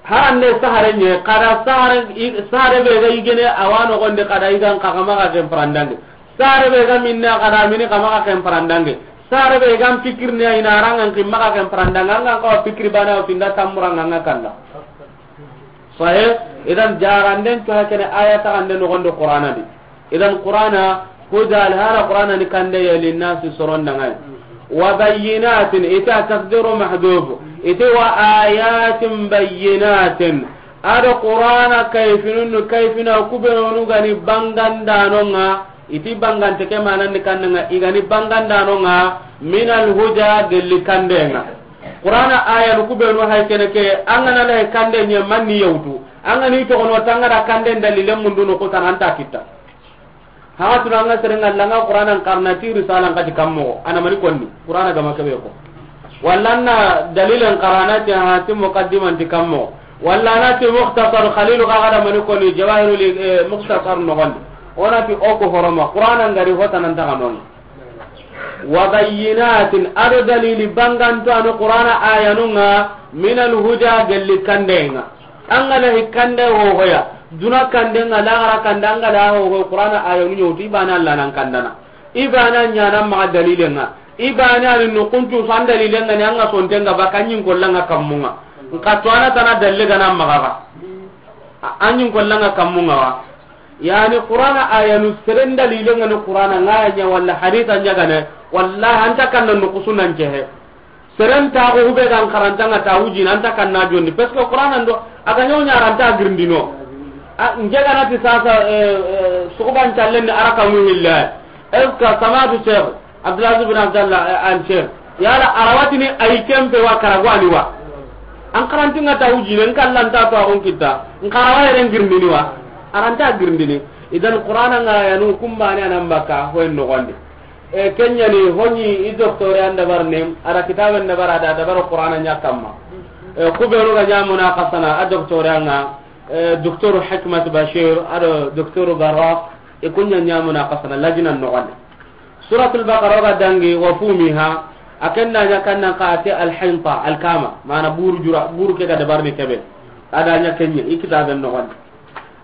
Harande sahare ɲe, kada sahare, i-, sahare be ga yigene, a wa noxondi kada yigan xa xa maxa ken parandange. Sahare be ga minne, kada mini xa maxa ken parandange. Sahare be ga n pikirne, a ina rangan ki maxa ken parandange. An ga n xawa pikiri bana, o tinda tammuranga nga kalla. Sahih, idan jaranden to hakene aya taxande noxondi Qur'ana di. Idan Qur'ana, huda, alhala Qur'ana ni kande ya linnasi soron dangani. Wa bayyinatin, ita taqdiru mahdhuf, ita wa ayatin bayyinatin. Ado Qur'ana kayfinun, kayfina kubenu gani bangandanonga, iti bangante ke manandi kannanga, igani bangandanonga, minal huda, gelli kandenga. Qur'ana ayanu kubenu hay kene ke, angana lahi kande ɲe manni yawtu, angani toxono tangara kanden dalilen mundu no kutananta kitta. Haga tuna anga serenga langa Qur'anan karna ti risalan kati kammo, ana mani konni, Qur'ana gama kebe ko. Walla na dalilen karana ti ha ti muqaddiman ti kammo. Walla na ti mukhtasar Khalil ga gada mani konni, jawahirul, eh, mukhtasar no gondi. Ona ti o ko horoma, Qur'ana ngari hota nan taga non. Wa bayyinatin, ado dalili banganto anu Qur'ana ayanunga, minal huda, gelli kandenga. An ga na hi kande hohoya, duna kande nga, laxara kande, an ga na hohoy Qur'ana ayanu ɲewtu, i bana Allah nan kandana. I bana ɲana maxa dalilenga. I bana ni nukuntu san dalilenga ni an ga sontenga ba kanyin kollanga kammunga. Nka to ana tana dalle gana maxa ga. A-, anyin kollanga kammunga wa. Yani Qur'ana ayanu seren dalilenga ni Qur'ana ngaya ɲa walla haditha ɲa gane. Wallahi anta kanna nukusunan cehe. Seren taxu hube gan karantanga ta wujina anta kanna jonni, parce que Qur'ana ndo aga ɲaw ɲaranta girindino. A, nge ganati sasa, eh, eh, sukuban callen ni araka muhilla. Est-ce que samadu Cheikh Abdulaziz bin Abdallah, eh, al Cheikh, yala arawatini ay kempe wa karagwani wa? An karantinga ta wujine, nkallanta to agon kitta, nkarawa yeren girindini wa? Aranta girindini. Idan Qur'ana nga yanu kumbane anan baka hoyen nogondi. E, kenyani honi i docteur an dabar nem, ada kitaben dabar, ada dabar Qur'ana ɲa kamma. E, kubenu ga ɲa munaqasana a docteur anga, e, docteur Hikmat Bashir, ado docteur Barra, e kunya ɲa munaqasana lajinan nogondi. Suratul Baqara ga dangi wa fumiha, akenna ɲa kannan ka ate al-hinta, alkama, mana buru jura, buru ke ga dabar ni kebe. Ada ɲa kenya, i kitaben nogondi.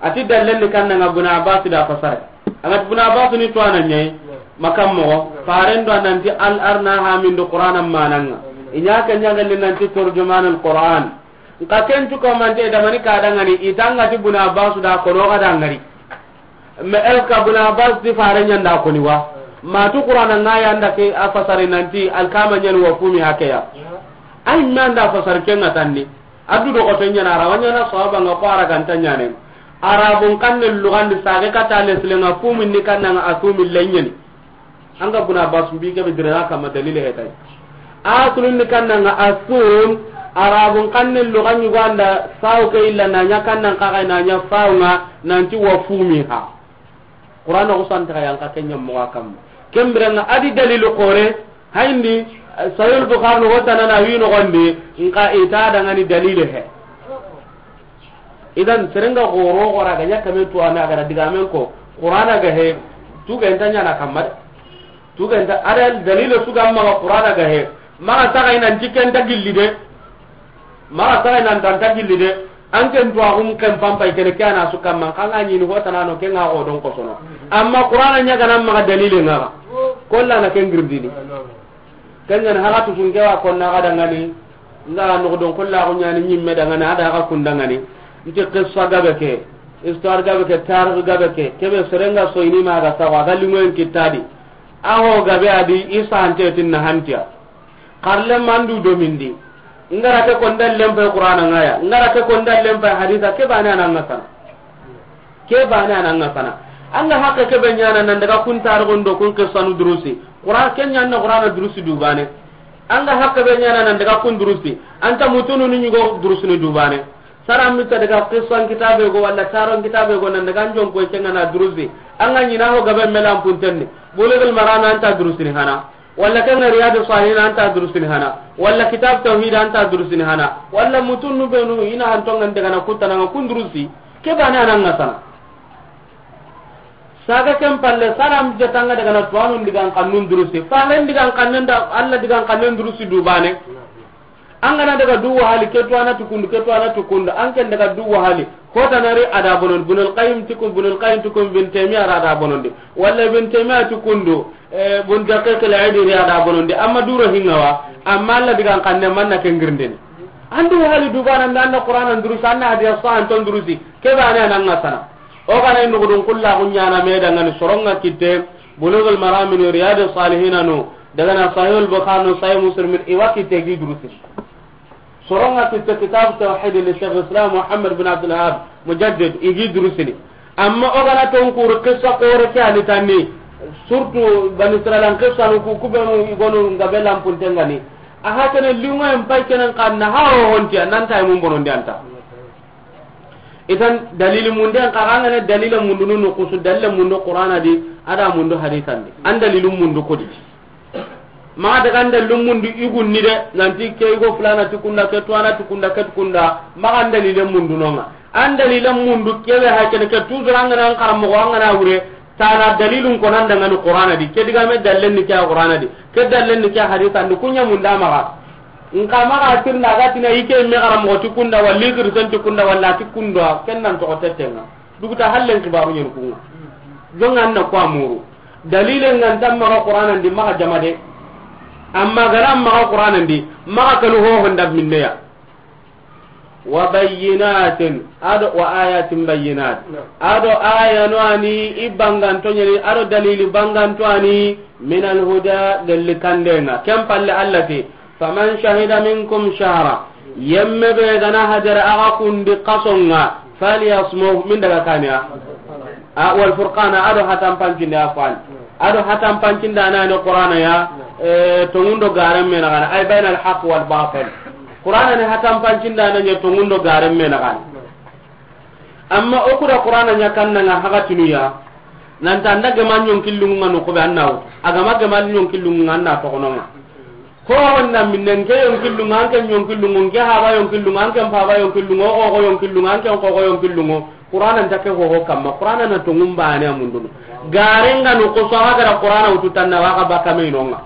Ati dallen ni kannanga Ibn Abbas da fasare. Angat Ibn Abbas ni to anan ɲayi, makam mo, faren do nanti al arna ha min do Qur'ana mananga. Inya kanya galle nanti turjuman al Qur'an. Nka ken tu ko mante da mani ka dangani, itanga ti Ibn Abbas da ko no ga dangari. Me el ka Ibn Abbas di faren ɲanda ko ni wa. Ma tu Qur'ana ngaya nda ke a fasare nanti alkama ɲan wa fumi hakeya. Ay manda fasar ken ngatanni. Addu do ko tenya na rawa ɲana sahaba nga ko ara ganta ɲane. Arabun kanne lugandi sage kata leslenga fumin ni kannanga asumi lenyeni. Anga Ibn Abbas mbi ke be dirana kama dalile hetay. Asulun ni kannanga asum, arabun kanne luganyu ganda saw ke illa na nya kannan ka ga na nya saw nga nanti wa fumiha. Qur'ana ko santa yan ka kenya mo kam. Kembirenga adi dalilu kore, hayndi, eh, Sahih Bukhari no wota na wi no gonde, nka ita dangani dalile he. Idan serenga goro gora ga nya kame to ana ga diga men ko, Qur'ana ga he, tu ga enta nya na kamar. Tu ga enta ada dalile su ga ma Qur'ana ga he. Ma ta ga ina jikenta gilli de. Maxa saxay nan tanta gilli de, an ken tuwaxun ken pampay kene ke ana su kamman, xa nga ɲini ho tanano ke nga xo don kosono. Amma Qur'ana ɲa gana maxa dalile nga xa. Kolla na ken girdini. Ken ɲani haxa tusun ke wa konna xa dangani, nga noxo don kolla xo ɲani ɲimme dangani, a da xa kun dangani. Nti qissa gabe ke, histoire gabe ke, tarix gabe ke, kebe serenga soyini maxa saxo, a ga lingoyen kittadi. A ho gabe adi, i sante tin na hantiya. Xarle mandu domindi. Ngara ke konda lempe Qur'ana ngaya. Ngara ke konda lempe haditha ke bane ananga sana. Ke bane ananga sana. Anga hakke ke be ɲana nan daga kun tarixun do kun qissanu durusi. Qur'an ke ɲana Qur'ana durusi du bane. Anga hakke be ɲana nan daga kun durusi. Anta mutunu ni ɲugo durusini du bane. Sara mita daga qissan kitabe go wala taron kitabe go nan daga njon ko ke ngana durusi. Anga ɲina ho gabe melan puntenni. Bulughul Maram anta durusini hana. Walla ken ga Riyadu Salihin anta durusini hana, walla Kitab Tawhid anta durusini hana, walla mutunnu benu ina hantongan daga na kutana nga kun durusi, ke bane ananga sana. Saga ken palle saram jatanga daga na tuwanun digan kannun durusi, falen digan kannen da Allah digan kannen durusi du bane. An ga na daga du wahali, ke tuwana tukundu, ke tuwana tukundu, an ken daga du wahali. Hota nari a da bonondi, Ibnul Qayyim ti kun, Ibnul Qayyim ti kun, Ibn Taymiya ra da bonondi. Walla Ibn Taymiya ti kundu, eh, Ibn Daqiq al-Eid ri a da bonondi. Amma duro hingawa, amma Allah digan kanne manna ke ngirindini. An du wahali du bana nda, an na Qur'ana durusi, an na hadisa sahan ton durusi. Ke bane a na nga sana. O ga na i nugudun kulla kunyana me dangani soronga kitte, Bulughul Marami no, Riyadus Salihin no, daga na Sahihul Bukhari no, Sahih Muslim, i wa kitte gi durusi. Soronga kitte Kitab Tawhid li Sheikh Islam Muhammad bin Abdul Wahhab, Mujaddid, i gi durusini. Amma o ga na tonkuru qissa kore ke ani tanni, surtout Bani Israilan qissa no ku, ku benu i gonu nga be lampuntengani. A ha kene lingo en pay kenen kanna ha o honti a nan tay mun bonondi anta. Idan dalili mundu en kaga ngana dalila mundu nu kusu dalila mundu Qur'ana di, a da mundu hadisan di. An dalilu mundu kodi. Ma daga an dalilu mundu igun ni de, nanti ke igo fulana ti kunda, ke tuwana ti kunda, ke ti kunda, ma an dalile mundu nonga. An dalile mundu kebe ha kene ke tuzura ngana an karamo ngana wure, Tana dalilun ko nan dangani Qur'ana di, ke digame dallen ni ke Qur'ana di, ke dallen ni ke hadisa ndi, kunya munda maga. Nka maga tirna ga tina ike me gara mo ti kunda, walli kirsen ti kunda, walla ti kunda, ken nan to tetenga. Duguta hallen kibaru nyen kunga. Jonga na ko amuru. Dalilen ngan tam maga Qur'ana ndi maga jamade. Amma garam maga Qur'ana ndi, maga kanu ho honda minneya. Wa bayyinatin, ado wa ayatin bayyinat. Naam. Ado aya no ani i banganto nyani, ado dalili banganto ani min al huda, galli kandenga. Ken palle Allah ti, faman shahida minkum shahra. Yemme be gana hadara aga kundi kasonga, falyasmuh, min daga kaniya. A, wal furqana, ado hatan pancinde afwan. Ado hatan pancinde anani Qur'ana ya, eh, tongundo garen me nagana, ay bayna al haqq wal batil. Qur'ana ni hatan pancinde anani tongundo garen me nagana. Amma o kuda Qur'ana nya kannanga hagatinu ya, nanta anda gema nyonkillunga no ko be annaw. Agama gema nyonkillunga anna to kononga. Ko wonna minnen ke yonkillunga, an ke yonkillunga, an ke haba yonkillunga, an ke paba yonkillunga, o ko yonkillunga, an ke ko yonkillunga. Qur'ana nta ke ho kamma, Qur'ana na tongum bane amundunu. Garenga no ko so haga da Qur'ana utu tanna wa ga baka me inonga.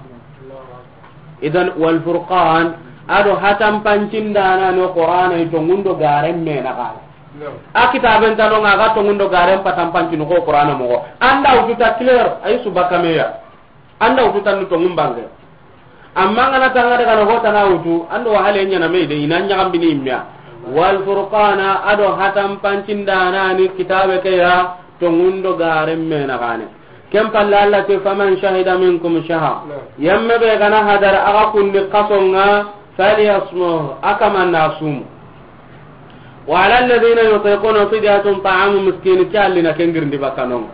Idan wal furqan, ado hatan pancindana no Qur'ana i tongundo garen me na ga. A kitaben tanonga ga tongundo garen patan pancinu ko Qur'ana mo. Anda utu ta clair, ay su baka me ya. Anda wutu tannu tongum bange. Amma ngana tanga daga na hota na wutu, ando wahale nya na me de, ina nya gambini imya. Wal furqana, ado hatan pancindana ni kitabe ke ya, tongundo garen me na gane. Ken palle Allah te, faman shahida minkum shahra. Yemme be gana hadar aga kundi kasonga, falyasmuh, akamanna sumu. Wa ala alladhina yutiquna fidyatun ta'amu miskin, ke allina kengirndi bakkanonga.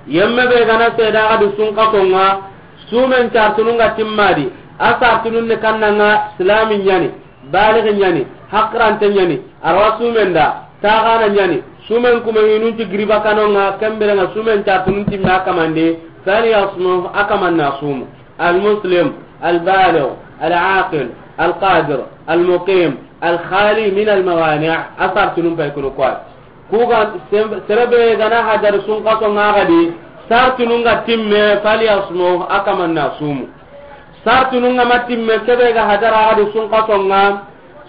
Yemme be gana seda gadi sunkatonga, sumen cartununga timmadi, a sartunun ni kannanga silami nyani, balighi nyani, hakrante nyani, arwa sumen da, tagana nyani, sumen kuma hinunti giri bakkanonga, kembirenga sumen cartunun timme akamande, falyasmuh, akamanna sumu. المسلم البالغ العاقل القادر المقيم الخالي من الموانع. A sartunun pay kunu koy. Kuga sem-, serebe gana hadar sunkaso ngagadi, sartunun ga timme, falyasmuh, akamanna sumu. Sartunun ga matimme, kebe ga hadar agadi sunkaso nga,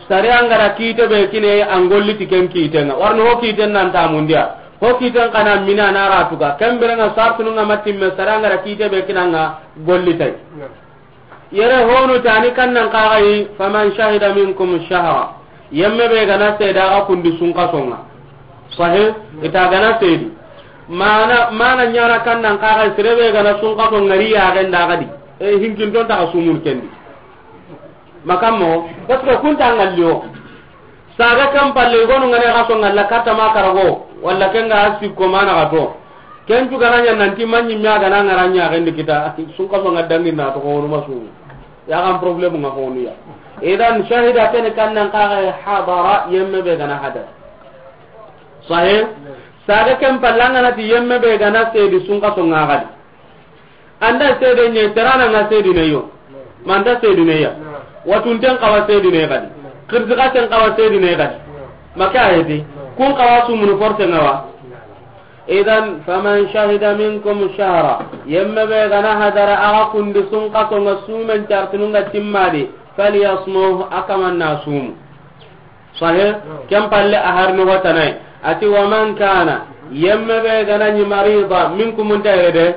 sare angara kite be kine, angolli tiken kitenga. Warno ho kiten nan tamundiya. Ho kiten kana mina na ratuga. Kemberenga sartunun ga matimme, sare angara kite be kinanga, golli tay. Yere honu tani kannan kagai, faman shahida minkum shahra. Yemme be gana seda ga kundi sunkasonga. Sahih, ita gana sedi. Mana, mana nyana kannan kagai, sirebe gana sunkasonga ri ya genda gadi. E, hinkin ton ta sumun kendi. Makammo, parce que kunta ngalliyo. Saga kan palle gonu ngane ga so ngalla katta ma karago, walla kenga asi ko mana ga to. Ken tu gananya nanti manyi mi aga na ngaranya ga ndi kita, sunkaso nga dangi na to ko ma su. Ya kan problème nga ko ya. Idan shahida ken kannan kagai hadara yemme be gana hadar. Sahih? Saga kan palle ngana ti yemme be gana sedi sunkaso nga gadi. Anda sede nye, terana nga sedi ne yo. Manda sedi ne ya. Watunten kawa sedi ne gadi. Kirtikaten kawa sedi ne gadi. Maka ayeti. Kun kawa sumunu forse ngawa. Idan, faman shahida minkum shahra. Yemme be gana hadara aga kundi sunkaso nga sumen cartunun ga timmadi. فليصمه, a kaman na sumu. Sahih? Ken palle a harni hotanay. A ti, ومن كان, yemme be ga na ɲi, مريضا, minkum, nta yere de.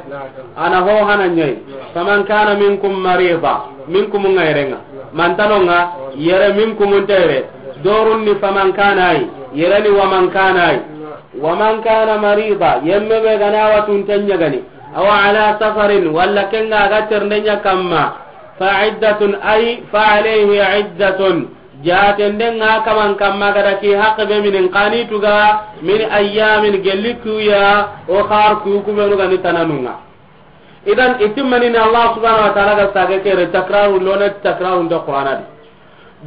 A na ho hana ɲa yi. فمن كان منكم مريضا, minkum ŋa yere ŋa. Mantano ŋa, yere, minkum nta yere. Dorun ni فمن كان ay, yere ni ومن كان ay. ومن كان مريضا, yemme be ga na watunte ɲa gani. أو على سفر, walla ken ŋa ga ternde ɲa kamma. فعدة أي فعليه عدة. Jaatende ŋa kaman kamma ga da ki haqqe be mini n xa ni tuga, من أيام, gelli kuya, o xar ku, ku benu ga ni tananu ŋa. Idan, i timmani ni Allah subhanahu wa ta'ala ga sage kere takraru lona, takraru nda Qur'ana di.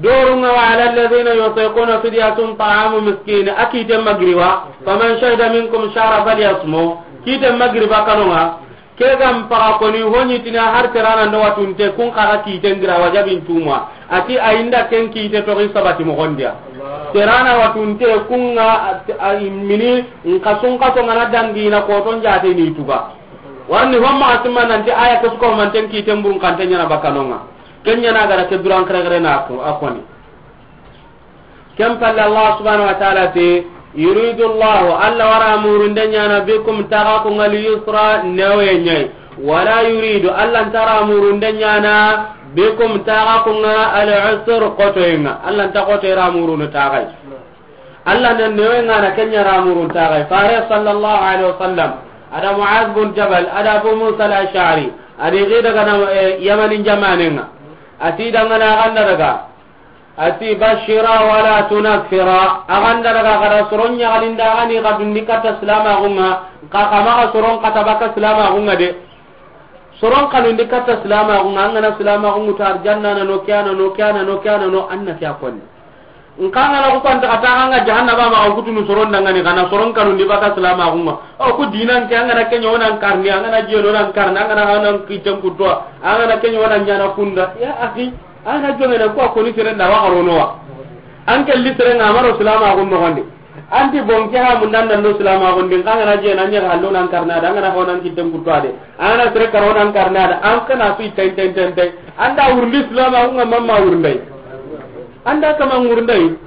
Doru ŋa, وعلى الذين يطيقونه فدية طعام مسكين, a kite magriba, فمن شهد منكم الشهر فليصمه, kite magriba kano ŋa, Ke ga n paga koni, ho ɲi ti na har terana ndo watunte, kun xa ga kiten gira wajabin tuma. A ti a yi nda ken kite toxi sabati moxon di ya. Terana watunte, kun ŋa, a, a, mini, n xa sun xa to ŋa na dangi na koton jaate ni tuga. Warni homma a simma nanti aya ke su ko manten kiten burun xante ɲa na bakano ŋa. Ken ɲa na ga da ke duran xerexere na ko, a koni. Ken palle Allah subhanahu wa ta'ala ti, يريد الله, Allah wa ra murunde ɲaana, بكم, ti xa kun ŋa, اليسر, newoye ɲa yi. ولا يريد, Allah nta ra murunde ɲaana, بكم, ti xa kun ŋa, العسر, xotoye ŋa. Allah nta xotoye ra murunu ti xa yi. Allah na newoye ŋa na ken ɲa ra murunu ti xa yi. Fare sallallahu alaihi wasallam, a da Mu'az bin Jabal, a da Abu Musa al-Ash'ari, a di xi daga na, eh, Yamani jamaane ŋa. A ti dangana a ga nda daga. A ti, بشرا ولا تنفرا. A ga nda daga xa da soron ɲaxalindi, a ga ni xa dundi katta silamaxu ŋa, xa xa maxa soron xata baka silamaxu ŋa de. Soron xanundi katta silamaxu ŋa, an ga na silamaxu ŋutu arjanna na no, ke ya na no, ke ya na no, ke ya na no, an na ke ya konni. N xa ga na ku kanta xa ta xa ŋa jahannaba maxa kutunu soron dangani, xa na soron xanundi baka silamaxu ŋa. O ku dinan ke, an ga na ke ɲa o nan karni, an ga na jeno nan karni, an ga na xa nan kiten kuttowa, an ga na ke ɲa o nan ɲaana kunda. Ya akhi, An na jongene ko a koni sere nda wa xarono wa. An ke li sere ŋa maro silamaxu noxon di. An ti bon ke ha mun dan do silamaxu ndi, xa ga na je na ɲa hallo nan karna da, an ga na ho nan kitten kutto a de. An ga na sere karo nan karna da, an xa na su ten ten ten ten. An da wurndi silamaxu ŋa mamma wurndai. An da kama wurndai.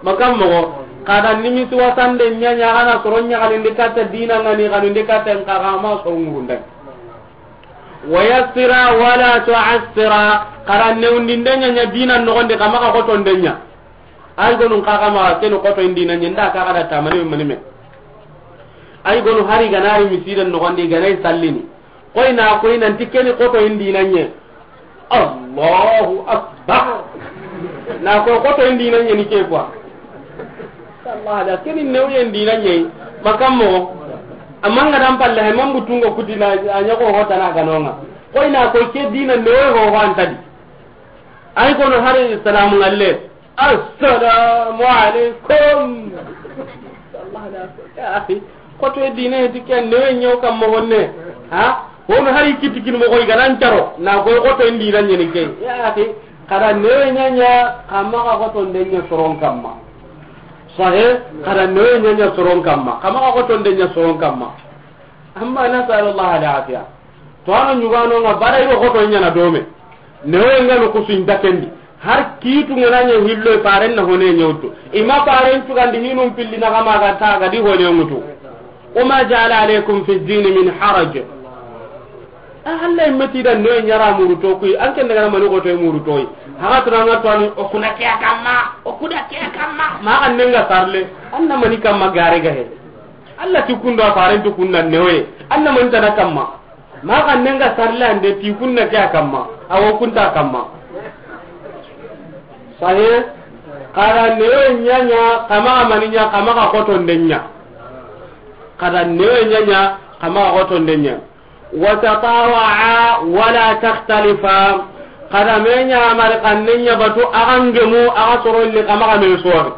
Makam moxo. Xa da nimisi wasande ɲa ɲa xa na soron ɲaxalindi katta dina ŋa ni xanundi katta n xa xa ma soron wurndai. ويسرا ولا تعسرا. Xa ra newundinde ɲa ɲa dina noxon di, xa maxa xotonde ɲa. Ay gonu n xa xa maxa keni xotoyen dina ɲa, nda xa xa da tamani mani me. Ay gonu hari ga na ri misiden noxon di, ga na i sallini. Koy na koy nanti keni xotoyen dina ɲa. Allahu Akbar. Na koy xotoyen dina ɲa ni ke quoi. Allah da keni newoyen dina ɲa yi. Makam moxo. Amma n ga dan palle hay, man butungo kuti na a ɲa ko hotana ga no ŋa. Koy na koy ke dina newoye ho ho an ta di. Ay kono hari salamu ngalle. Assalamu alaikum. Allah da, ya akhi. Xotoye dina ti ke newoye ɲa wo kam moxon ne. Ha? Hono hari kiti kin moxo i ga nan caro. Na koy xotoyen dina ɲa ni ke. Ya akhi. Xa ra newoye ɲa ɲa, xa maxa xotonde ɲa soron kamma. Sahih, xa ra newoye ɲa ɲa soron kamma, xa maxa xotonde ɲa soron kamma. Amma نسأل الله العافية. To a na ɲugano ŋa bara i ro xotoye ɲaana dome. Newoye ŋa no kusu inta ken di. Har kiitu ŋa na ɲa hillo faren na hone ɲa wutu. I ma faren cugandi hinun pilli na xa ma ga ta ga di hone ŋutu. وما جعل عليكم في الدين من حرج. A, Allah i ma ti da newoye ɲa ra muru to kuyi, an ken daga na mani xotoye muru to yi. Haga tuna ŋa to ani, o kuna ke ya kamma, o kuna ke ya kamma. Ma xa ne ŋa sarle, an na mani kamma gare ga he. Allah ti kundo a faren tu kunna newoye. An na mani tana kamma. Ma xa ne ŋa sarle ande ti kunna ke ya kamma. A wo kunta kamma. Sahih, xa ra newoye ɲa ɲa, xa maxa mani ɲa, xa maxa xotonde ɲa. Xa ra newoye ɲa ɲa, xa maxa xotonde ɲa. وتطاوعا ولا تختلفا. Xa ra me ɲa mari xanne ɲa batu, a xa ngemu, a xa soron li, xa maxa me sori.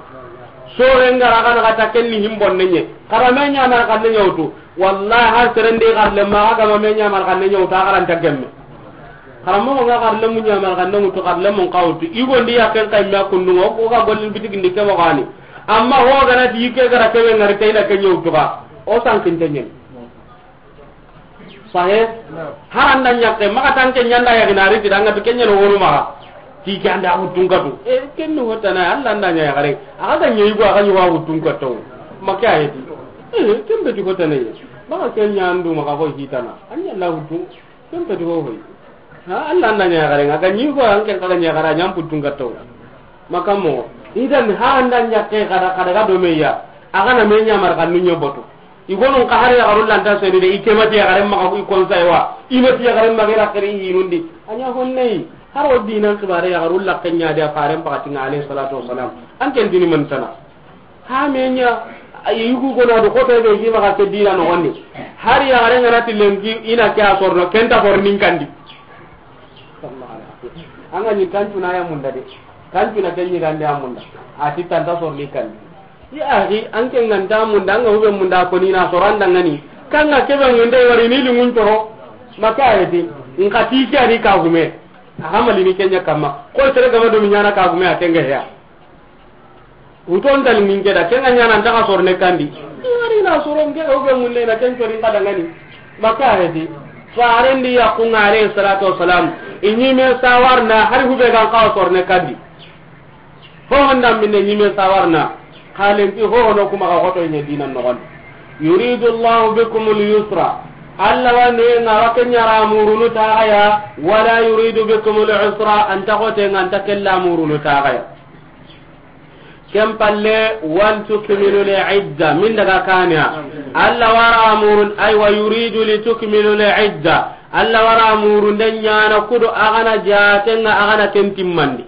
Sore n ga ra xa na xa ta ken ni himbonne ɲa. Xa ra me ɲa mari xanne ɲa wutu. Wallahi, har seren di xarle ma, a ga ma me ɲamar xanne ɲa wutu, a xaranta gemme. Xaranmoxo ŋa xarle mu ɲamar xanne wutu, xarle mun xa wutu. I gondi ya ken kay me a kundu ŋa, o ga gollin bitigi ndi ke moxo ni. Amma ho ga na ti i ke ga ra ke be ŋari, ke i na ke ɲa wutu xa. O sankinte ɲeni. Sahih? Har an da ɲakke, maxa tan ke ɲa n da yaxi na ri ti da ŋa ti ke ɲa no wonu maxa. Ti ke an da huttun katu. E, ken ni hotana, Allah an da ɲa yaxare. A ga ɲa yigo, a ga ɲa wa huttun katu. Ma ke a yi ti. E, ken be ti hotana ye. Ba ga ken ɲa an du ma ga ko hitana. An ɲa la huttun. Ken be ti ho hoy. Ha, Allah an da ɲa yaxare. A ga ɲi ko an ken ka ga ɲa yaxare, a ɲa an huttun katu. Ma kammo. Idan ha an da ɲa ke kada, kada ga do me ya. A ga na me ɲa mar kan nu ɲa boto. I gonun ka hari yaxarun lanta seni de, i ke ma ti yaxaren maxa i konsay wa, i ma ti yaxaren maxa i raxiri i hinundi. A ɲa honne yi, har o dinan xibare yaxarun laxen ɲa de a faren paxatinga alayhi salatu wasalam. An ken dini man tana. Ha me ɲa, a yi yugu gona do xoto be gi maxa ke dina noxondi. Har yaxaren ga na ti lenki i na ke a sorno, ken ta sornin kandi. An ga ɲi kancuna ya munda de. Kancuna ken ɲi gande a munda. A ti tanta sorni kandi. Ya axi, an ke nganta munda, an ga hube munda ko ni na soran dangani. Kan ga kebe ngunde wari ni lingun coro. Ma ke a yi ti. Nka ti ke a ni ka gume. A ga mali ni ken ɲa kamma. Ko tere ga ma do mi ɲana ka gume a tenga ya. Uton dal min ke da, ken ga ɲana an ta ga sorne kandi. Wari na soron ke ga hube munde na ken cori nka dangani. Ma ke a yi ti. Faren di ya ku nga alayhi salatu wasalam. I ɲi me sawarna har hube ga ka sorne kandi. Ho honda minne ɲi me sawarna. Xalen ki ho hono kuma ga xoto ɲa dinan noxondi. Yuridu Allahu bikumul yusra. Allah wa ne nga wa ken ɲa ra murunu taxaya. Wala yuridu bikumul usra. An ta xote nga an ta kella murunu taxaya. Ken palle, wal tukmilu al idda. Min daga kaniya. Allah wa ra murun, ay wa yuridu li tukmilu al idda. Allah wa ra murun den ɲana kudo a ga na jaten nga a ga na ken timmandi.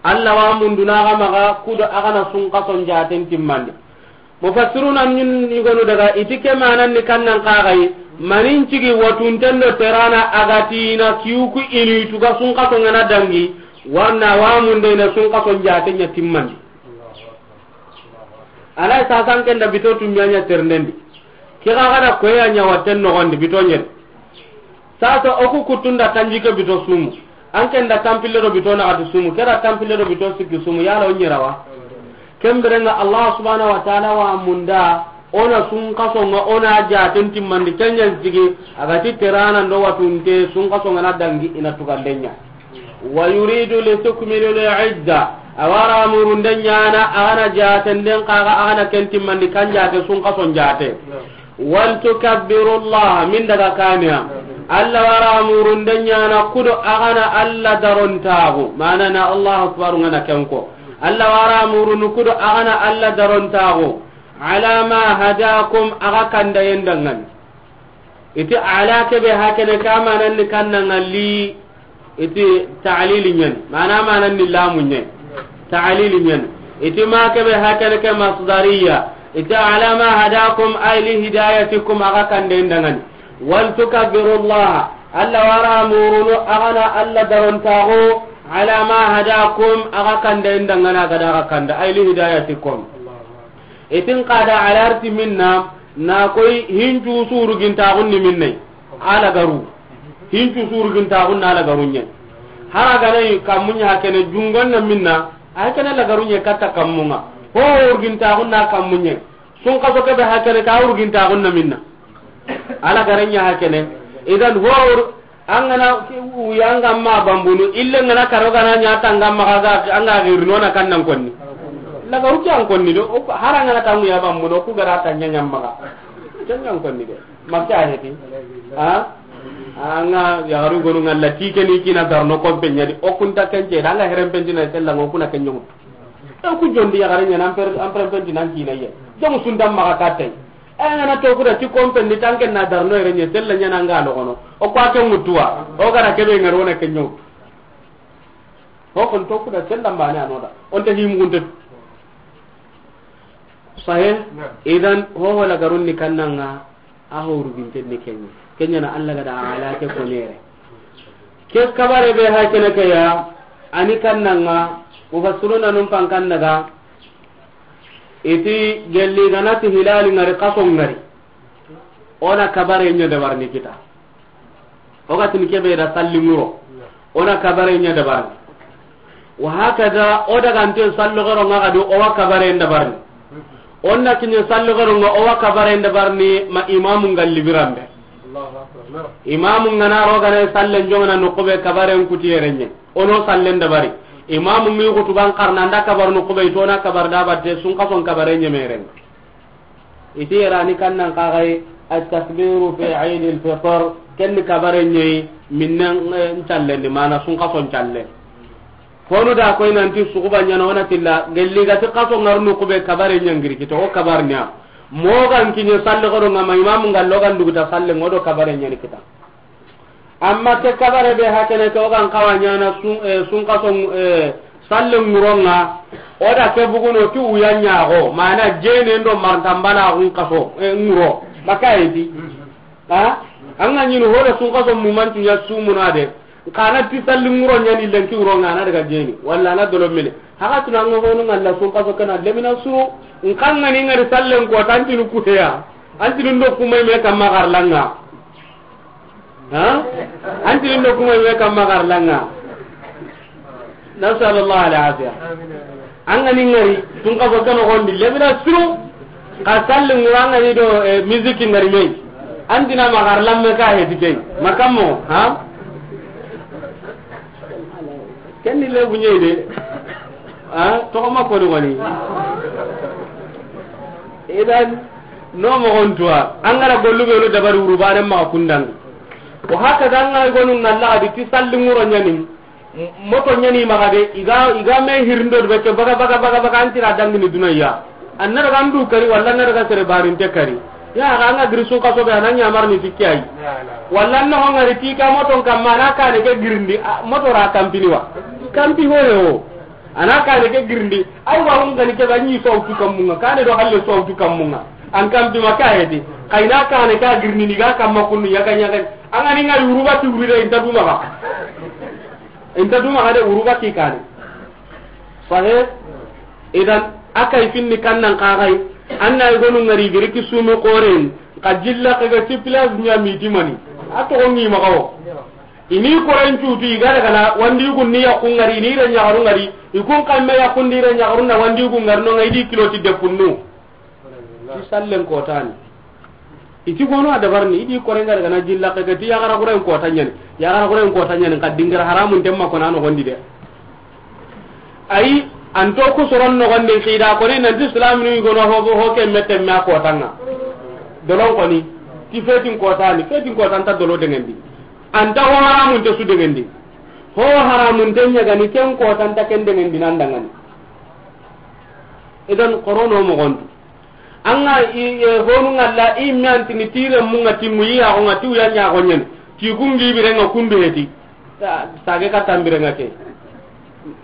Allah wa munduna ga maxa kudo a ga na sunkason jaten timmandi. Mufassiruna ɲun ni gonu daga i ti ke manan ni kannan kaxayi, manin cigi watunten do terana a ga ti na kiyu ku i ni tuga sunkason nga na dangi, warna wa munde na sunkason jaten ɲa timmandi. Alay sasan ken da bito tun ɲa ɲa ternendi. Ke ga ga da koya ɲa waten noxondi bito ɲen. Sasa o ku kuttun da tanjikke bito sumu. An ken da tampille do bito naxati sumu. Ke da tampille do bito sikki sumu. Yala o ɲera wa? Ken biren nga Allah subhanahu wa ta'ala wa munda, o na sunkason nga o na jaten timmandi ken ɲan sigi, a ga ti terana ndo watunte sunkason nga na dangi i na tuganden ɲa. Wa yuridu li tukmilu al idda, a wa ra murun den ɲana, a ga na jaten den kaga, a ga na ken timmandi kan jate sunkason jate. Wal tukabbiru Allah, min daga kaniya. Allah wa ra murun den ɲana kudo a ga na Allah darontaxu. Mana na Allahu akbar nga na ken ko. Allah wa ra murunu kudo a ga na Allah darontaxu. Ala ma hadakum, a ga kandayen dangani. Iti ala kebe hakene ka manan ni kannan ngalli. Iti ta'lili ɲen, mana manan ni lamu ɲen. Ta'lili ɲen. Iti ma kebe hakene ke masdariya. Iti ala ma hadakum ay li hidayatikum, a ga kanden dangani. Wal tukabbiru Allah, Allah wa ra murunu a ga na Allah darontaxu, ala ma hadakum, a ga kanden dangana ga da a ga kanda ay li hidayatikum. Itin qada alarti minna, na koy hincu surugintaxun ni minne. Ala garu. Hincu surugintaxun na ala garu ɲen. Hara ganayi kammuɲa hakene jungon na minna, a hakene la garu ɲe katta kammunga. Ho urgintaxun na kammuɲe. Sunkaso kebe hakene ka urgintaxun na minna. Ala gare ɲa hakene. Idan ho ur-, An ga na uya an ga ma bambunu, ille n ga na karo ga na ɲa ta an ga ma ga, an ga giri no na kannan konni. Lagaru ke an konni do, o ku, hara n ga na ta an ga ya bambunu, o ku gara ta ɲa ɲa maga. Ken an konni de. Makka heti. Ha? An ga ya garu gonu ngalla ti ke ni kina darno kompe ɲa di, o kun ta ken ce, da an ga heren pentina sella ngo kuna ken ɲumu. O ku jondi ya gare ɲa nan per, an per pentina kina ye. Jamu sundam maga katay. E, ngana to kuda ti kompen ni tanken na darno yere ɲe, sella ɲana nga logono. O kwa ke mutuwa. O gara kebe ngaro na ke ɲo. Ho kon to kuda sella mbane anoda. On ta himu gunte. Sahih? Naam. Idan, ho wala garun ni kannanga, a ho rubinten ni kenyi. Kenya na Allah ga da ala ke konere. Ke kabare be ha kene ke ya, ani kannanga, mufassiruna num pan kannaga, Iti gelli ganati hilali ngari kaso ngari. Ona kabare ɲa dabarni kita. O ga tini kebe da salli muro. Ona kabare ɲa dabarni. Wa hakada o daga nte sallo gero nga gadi o wa kabare dabarni. Onna kinya sallo gero nga o wa kabare dabarni ma imamu ngalli birambe. Imamu ngana ro gana salle jongana no kobe kabare kuti yerenye. O no sallen dabari. Imaamu mi xutuban xarana, an da kabar noqu be, i to na kabar da batte, sunxason kabare ɲemeren. I ti yere ni kannan kaxay, at-takbiru fi Eid al-Fitr, ken ni kabare ɲeyi, minnen, eh, ncallen di, mana sunxason calle. Honu da koy nanti suxuba ɲana, o na tilla, gelli ga ti xaso ŋaru noqu be kabare ɲangiri kita, o kabar ɲa. Moxo ga n kiɲe salle xodo ŋa ma, imaamu ŋa lo ga n duguta salle ŋa, o do kabare ɲani kita. Amma ke kabare be hakene ke, o ga n xawa ɲana sun-, eh, sunxaso, eh, salle ŋuron ŋa, o da ke buguno ti wuya ɲaxo, mana jene ndo martambala xun xaso, eh, ŋuro. Maka yeti. Ha? An ga ɲini hoda sunxaso mumancu ɲa sumuna de. Xa na ti salli ŋuro ɲani lenki wuro ŋa, a na daga jeni. Walla a na dolo mini. Haka tuna ŋa honu ŋa la sunxaso kana lemina suru. N xa ŋa ni ŋari sallen ko tantinu kuteya. Antinu ndo kumay me kamma xarlanga. Ha? Antinu ndo kumay me kamma xarlanga. Nasallallahu alaihi wasallam. An ga ni ŋari, tun ka baka no gondi, lebina suru, ka salli ŋura an ga ni do, eh, musique ŋari me yi. An dina ma xarlamme ka heti ke yi. Makammo, ha? Ken ni lebu ɲe de. Ha? Toxo ma ko ni wani. Idan, no moxon tuwa. An ga ra gollu be no dabari wuru bare ma kundang. Wa haka dan ga gonu ŋalla a di ti salli ŋuro ɲani. Moto ɲani maxa de, i ga, i ga me hirindo be ke baga, baga, baga, baga, an tira dangini dunaya. An na daga an du kari, walla an na daga sere barinte kari. Ya, ga an ga giri sunxaso be, a na ɲamar ni ti ke yi. Walla an na ho ŋari ti ka moto kamma, a na kane ke girindi, a, moto ra kampini wa. Kampi ho yo. A na kane ke girindi, ay wa hun gani ke ba ɲi so tu kammunga, kane do halle so tu kammunga. An kampi ma ka hedi. Kayna kane ka girindi ni ga kamma kunnu ɲaga ɲaga. An ga ni ŋa yuruba ti wuri de inta duma ba. Inta duma xa de wuru ga ti kane. Sahe? Idan, a kay finni kannan kaxay, an na i gonu ŋari giri ki sumi xoren, ka jilla ka ga ti place ɲa mi dimani. A toxo ŋi maxa wo. I ni koren cutu, i ga daga na, wandi gun ni yaxu ŋari, ni re ɲaxaru ŋari, i kun kamme yaxu ndi re ɲaxaru na wandi gun ŋari no ŋa i di kilo ti depunnu. Ti sallen kotani. I ti gono a dabarni, i di korenga daga na jilla ke ti yaxara xuren kota ɲani. Yaxara xuren kota ɲani, ka dingira haramun temma kona no gondi de. Ayi, an to ku soron no gondi xida koni nanti islaminu i gono ho, ho ke mette me a kotanga. Dolon koni, ti fetin kotani, fetin kotanta dolo dengendi. Anta ho haramun te su dengendi. Ho haramun te ɲagani ken kotanta ken dengendi nan dangani. Idan korono mogontu. An ga i, e, honu ŋalla i me antini tire munga ti muyi ya gonga ti uya nya gonyen. Ti kungi birenga kundu heti. Ta, sage ka tambirenga ke.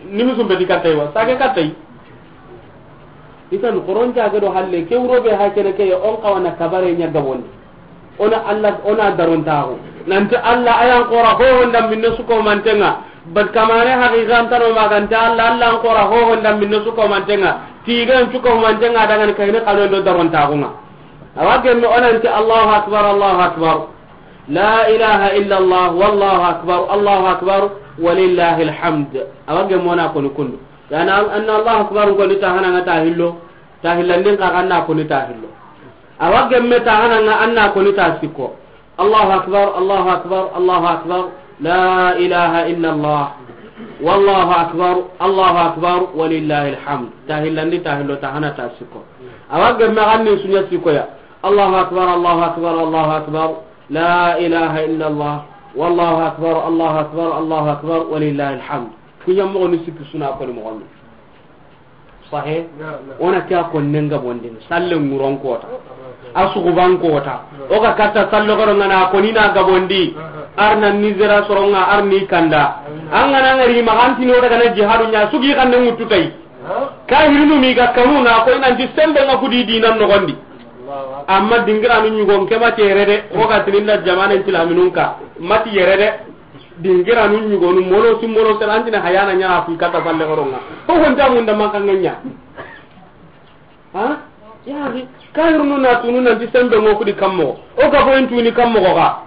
Nimi sumbe di katay wa. Sage katay. Idan koron jage do halle ke wuro be ha kene ke on kawana kabare nya gabondi. Ona Allah, ona darontaxu. Nanti Allah ayan xora hoho ndambinne suko mantenga. Bat kamane haqiqan tano maganta Allah, Allah an xora hoho ndambinne suko mantenga. Tigan suko mantenga dangani kayne kano ndo darontaxunga. Awa gemme onanti Allahu akbar, Allahu akbar. La ilaha illa Allah, wallahu akbar, Allahu akbar, walillahil hamd. Awa gemme ona koni kundu. Yani an, anna Allahu akbar koni tahana nga tahillo. Tahillandin ka kanna koni tahillo. Awa gemme ta hananga anna koni ta sikko. Allahu akbar, Allahu akbar, Allahu akbar. La ilaha illa Allah. Wallahu akbar, Allahu akbar, walillahil hamd. Ta hillandi ta hillo ta hana ta sikko. Awa gemme ganni sunya sikko ya. Allahu akbar, Allahu akbar, Allahu akbar. La ilaha illa Allah. Wallahu akbar, Allahu akbar, Allahu akbar, walillahil hamd. Kunya mo ni sikki suna ko ni mo. Sahe? Naam, naam. Ona ke a konnen gabondini, salle ŋuron kota. A suguban kota. O ga katta salle goro ngana koni na gabondi. Arna nizera soronga arni kanda. An gana ngari ma antini o daga na jihadu nya sugi kanne mutu tay. Kahirinu mi ga kanu na ko nanti sembe nga kudi dinan nogondi. Amma dingiranu ɲugon ke mati yere de, o ga tininda jamanen tilaminun ka, mati yere de. Dingiranu ɲugonu, molo si molo sera, antine hayana ɲana fi kata falle goronga. Ho honta munda mankanga ɲa. Ha? Yari, kahirunu na tunu nanti sembe ngo kudi kammo. O ga boyen tuni kammo ga.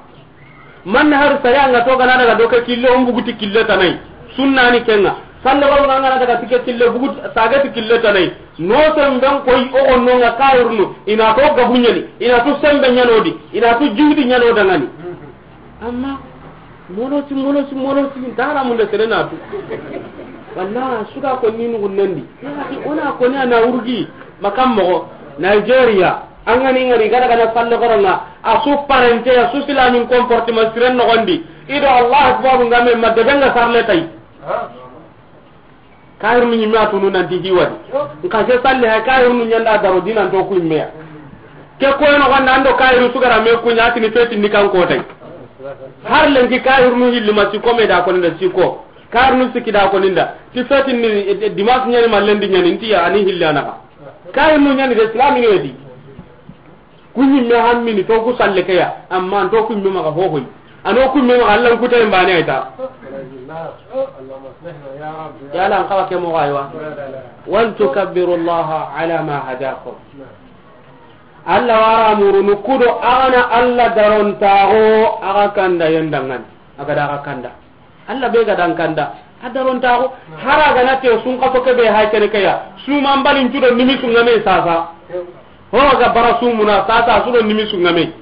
Man har saya nga to gana daga doke kille, on buguti kille tanai. Sunna ni kenga. Falle goronga ngana daga tike kille, buguti sagati kille tanai. No semben koy o onno nga kahirunu. Ina to gabunyani. Ina to sembe ɲanodi. Ina to jingdi ɲano dangani. Amma Molosi, molosi, molosi, ntara munde sere na tu. Walla, suga ko ni nugu nandi. Ya, o na ko ni a na urgi, makam mogo. Nigeria, an ga ni ngari gada gana salle koronga, a su parente, a su silamin comportement siren nogondi. I do Allah akbar nga me ma debe nga sarle tay. Kahirnu ñimme a tunu nanti hiwadi. Nka se salli hay kahirnu ñanda daro dinan to ku immeya. Ke koyeno gonda ando kahiru sugara me kuña atini feti ni kan kotay. Har lenki kahirnu hilli ma siko me da koninda siko. Kahirnu siki da koninda. Ti feti ni, eh, dimas ñani ma lendi ñani nti ya ani hilli anaka. Kahirnu ñani de islamino di. Ku ñimme hammini to ku salle ke ya, amma an to ku ñimme maxa hohoy. Ano ku ñimme maxa Allan kutay mbane ay ta. Yala an xawa ke moxo aywa. Wal tukabbiru Allaha ala ma hadakum. Alla wara murunu kudo agana Alla darontaxo axa kanda yendangani. Agada axa kanda. Alla be ga dan kanda, a darontaxu. Hara gana te sun kaso ke be hay kene ke ya. Suma mbalin cudo nimi sungame sasa. Ho ga bara sumuna sasa sudo nimi sungame.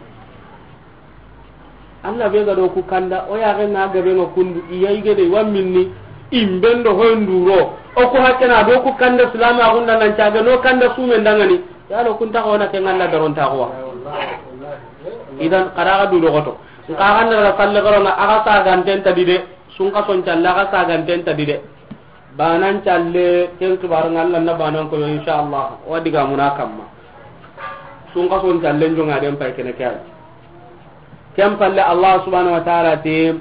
Alla be ga do ku kanda, o ya ga na gabe no kundu, iya igede wa minni, imbendo hoy nduro. O ku hakena do ku kanda salama gunda nan caga no kanda sumen dangani. Yalo kunta ko na ke ngalla darontaxu wa. Idan qara ga du do goto. Nka xa na daga salle xarona, axa saganten tadi de. Sun kason calle, axa saganten tadi de. Banan calle, ken xibaru nga Alla na banan ko, insha Allah. Wa diga muna kamma. Sun kason calle, njonga den pay kene kay. Ken palle, Allah subhanahu wa ta'ala ti,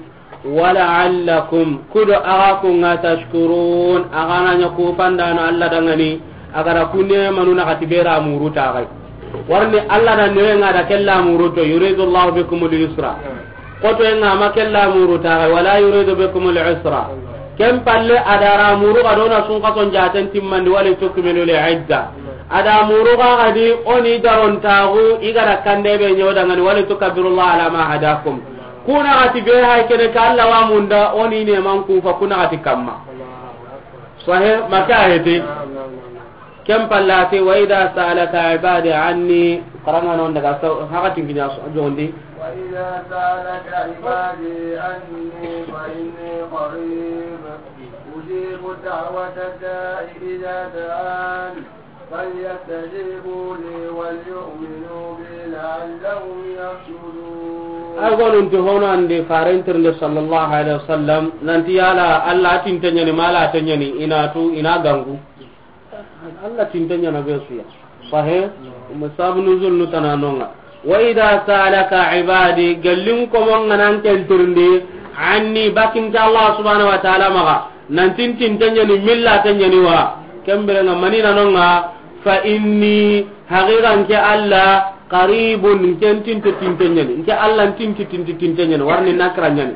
"Wa la'allakum, kudo axa ku nga tashkurun, axa na ña ku pandano Alla dangani, axa da ku ne manu na xati bera muru taxay." Warni Alla da ne nga da kella muru to, "Yuridu Allahu bikumul yusra." Koto nga ma kella muru taxay, "Wala yuridu bikumul usra." Ken palle adara muru ga dona sun kason jaten timmandi wali tukmilu li idda. Ada muru ga gadi oni darontaxu igara kande be ñodangani wali tukabbirullaha ala ma hadakum. Kuna gati be hay kene ka Alla wa munda oni ne man kufa kuna gati kamma. Sahe maka hete. Ken pallati, "Wa idha sa'alaka ibadi anni," qaranga non daga so, hakatin kinya so, jondi. "Wa idha sa'alaka ibadi anni fa inni qarib, ujibu da'wata da'i idha da'an, falyastajibu li wal yu'minu bi la'allahum yarshudun." Ay gonun ti hono ande farentirnde sallallahu alaihi wasallam, nanti yala Alla tintanyani mala tanyani inatu ina gangu. Alla tinta ñana be suya. Sahe, sabab nuzul nu tananonga. "Wa idha sa'alaka ibadi," gallin ko mon nganan kentirndi, "anni," bakin ta Allah subhanahu wa ta'ala maga. Nan tintin tanyani milla tanyani wa. Kembere nga manina nonga, "fa inni," haqiqan ke Alla, "qaribun," ken tinto tinto ñani. Nke Alla tinti tinti tinto ñani. Warni nakra ñani.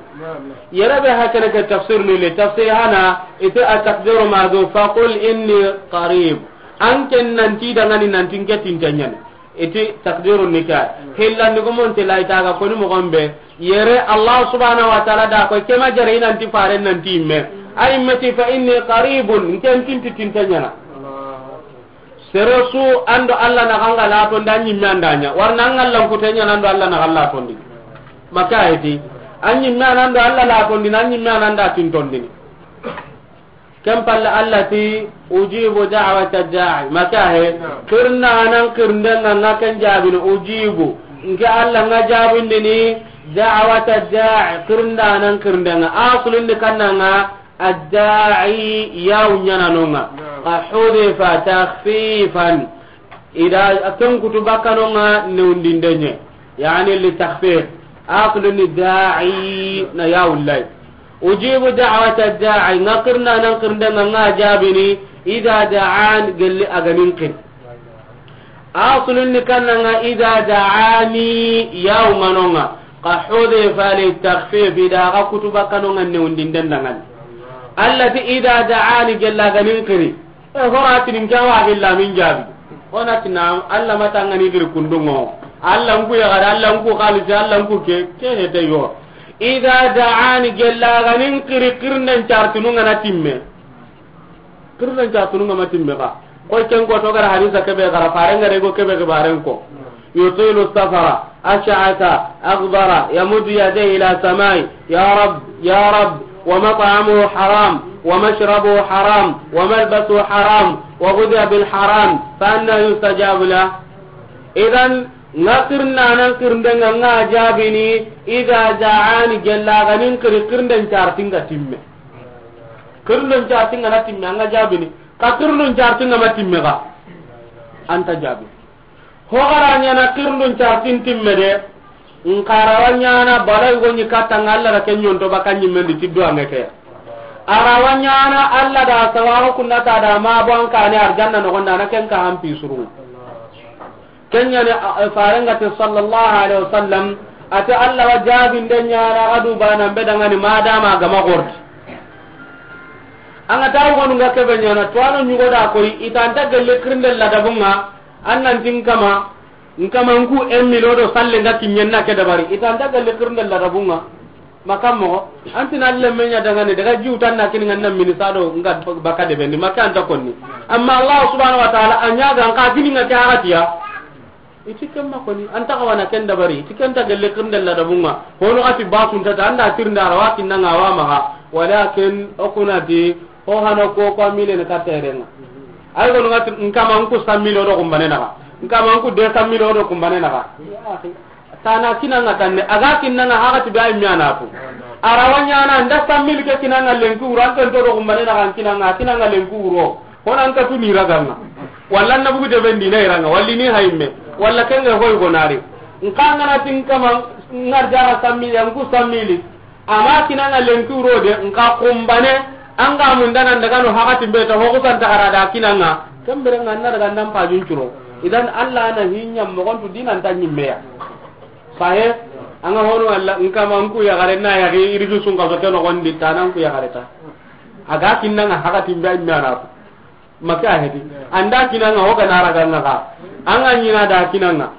Yere be hakene ke tafsir ni le, tafsir hana, ite a taqdiru ma do, "Faqul inni qarib." An ken nanti dangani nanti nke tinto ñani. Iti taqdiru ni ka. Hilla ni ko mon te lai taga ko ni mo gombe. Yere Allah subhanahu wa ta'ala da ko kema jare nanti fare nanti me. Ay meti, "Fa inni qaribun," nke tinti tinto ñana. Sere su ando Alla na ganga la to nda ñimme anda ña. Warna an Alla ku te ñana ando Alla na galla to ndi. Maka heti. An ñimme anando Alla la to ndi, na ñimme ananda tin to ndi. Ken palle Alla ti, "Ujibu da'wata da'i." Maka he. Kirna nan kirnde nga nga ken jabini ujibu. Nke Alla nga jabindini da'wata da'i. Kirna nan kirnde nga. Asulin di kanna nga Adda'i yawu ñananonga. Naam. Ka hudifa takhfifan. Ida ken kutu bakkanonga newndindenye. Yani li takhfif. Asluni da'i na yawu lay. Ujibu da'wata da'i. Nga kirna nan kirnde nga, nga jabini. Ida da'an gelli aganin kin. Aslun ni kannanga ida da'ani yawu manonga. Ka hudifa li takhfif, ida ga kutu bakkanonga newundinden dangani. Alla ti ida da'ani gella ganin kiri. E hora tinin kawa gella min jabi. Ona tina Alla matangani kiri kundungo. Alla nku ya gada, Alla nku khalisi, Alla nku ke, ke hete yo. Ida da'ani gella ganin kiri, kirnden chartununga na timme. Kirden chartununga ma timme ka. Koy ken ko to gara hadisa kebe gara faren gare go kebe ke baren ko. Yutilu safara. أشعث أغبر يمد يديه إلى السماء: يا رب، يا رب، ومطعمه حرام، ومشربه حرام، وملبسه حرام، وغذي بالحرام، فأنى يستجاب له؟ إذن, nga xirnaanan xirinde nga, nga jaabini, إذا دعان, gella ga ni n xiri, xirinden carti nga timme. Xirinden carti nga na timme, a nga jaabini. Xa xirinden carti nga ma timme ga, a nta jaabini. Ho ga ra ɲaana xirindun cartin timme de, n xa ra wa ɲaana bala yugo ɲi katta nga Alla da ke ɲonto baka ɲimmen di ti duwanŋe ke ya. A ra wa ɲaana Alla da sawaxu kunna ta da ma bo an kaane arjanna noxon da na ken ka han pi surun. Ken ɲa ni, a, a, Faaren ga ti sallallahu alaihi wasallam, a ti Alla wa jaabinde ɲaana a ga du bana n be danŋa ni ma dama ga ma gordi. An ga ta yugonu nga ke be ɲaana, tuwaano ɲugo da koyi, i ta nta gelle xirinde ladabun ŋa, An nan ti n kama, n kama n ku en milo do salle nga kiɲen na ke dabari. I ta nta gelle xirinde ladabun ŋa. Ma kan moxo, an ti na lemme ɲa danŋa ni, daga jiw tan na kini nga na mini sado nga baka de bendi, ma ke a nta konni. Amma Allah subhanahu wa ta'ala, a ɲa ga n xa kini nga ke haqatiya. I ti ken ma konni, an ta xawa na ken dabari, i ti ken nta gelle xirinde ladabun ŋa. Hono xati ba kun ta ta, an da tirinde a ra wa kinna nga wa maxa. Walakin o ku na ti, Ho hana ko, ko a mille ne ka tere nga. Ay gonu nga ti, n kama n ku san mille o do kumbane naxa. N kama n ku deux cent mille o do kumbane naxa. Ya akhi. Tana kinanga tanne, a ga kinanga haqati be ay mi a na tu. A ra wa ɲaana, n da san mille ke kinanga lenki wuro, an ken to do kumbane naxa, n kinanga, kinanga lenki wuro. Ho na n ka tu ni raganga. Walla na bugu de bendi na iranga, walli ni hayimme. Walla kenge hoy gonari. N kanga na ti n kama n arjara san mille, n ku san mille. Ama kinanga lenki wuro de, n ka kumbane, an ga mundana n daga no haqati be ta, ho ku san ta xara da kinanga. Ken bire nga na daga n da n pajun curo. Idan Allah na hinya moxon tu dinan ta ɲimmeya. Sahe, an ga hono Allah, n kama n ku yaxare na yaxi, irigi sun ka so ke noxon di, tana n ku yaxare ta. A ga kinanga haqati be a ɲaana ko. Ma ke a heti. An da kinanga, ho ga na raganga xa. An ga ɲina da kinanga.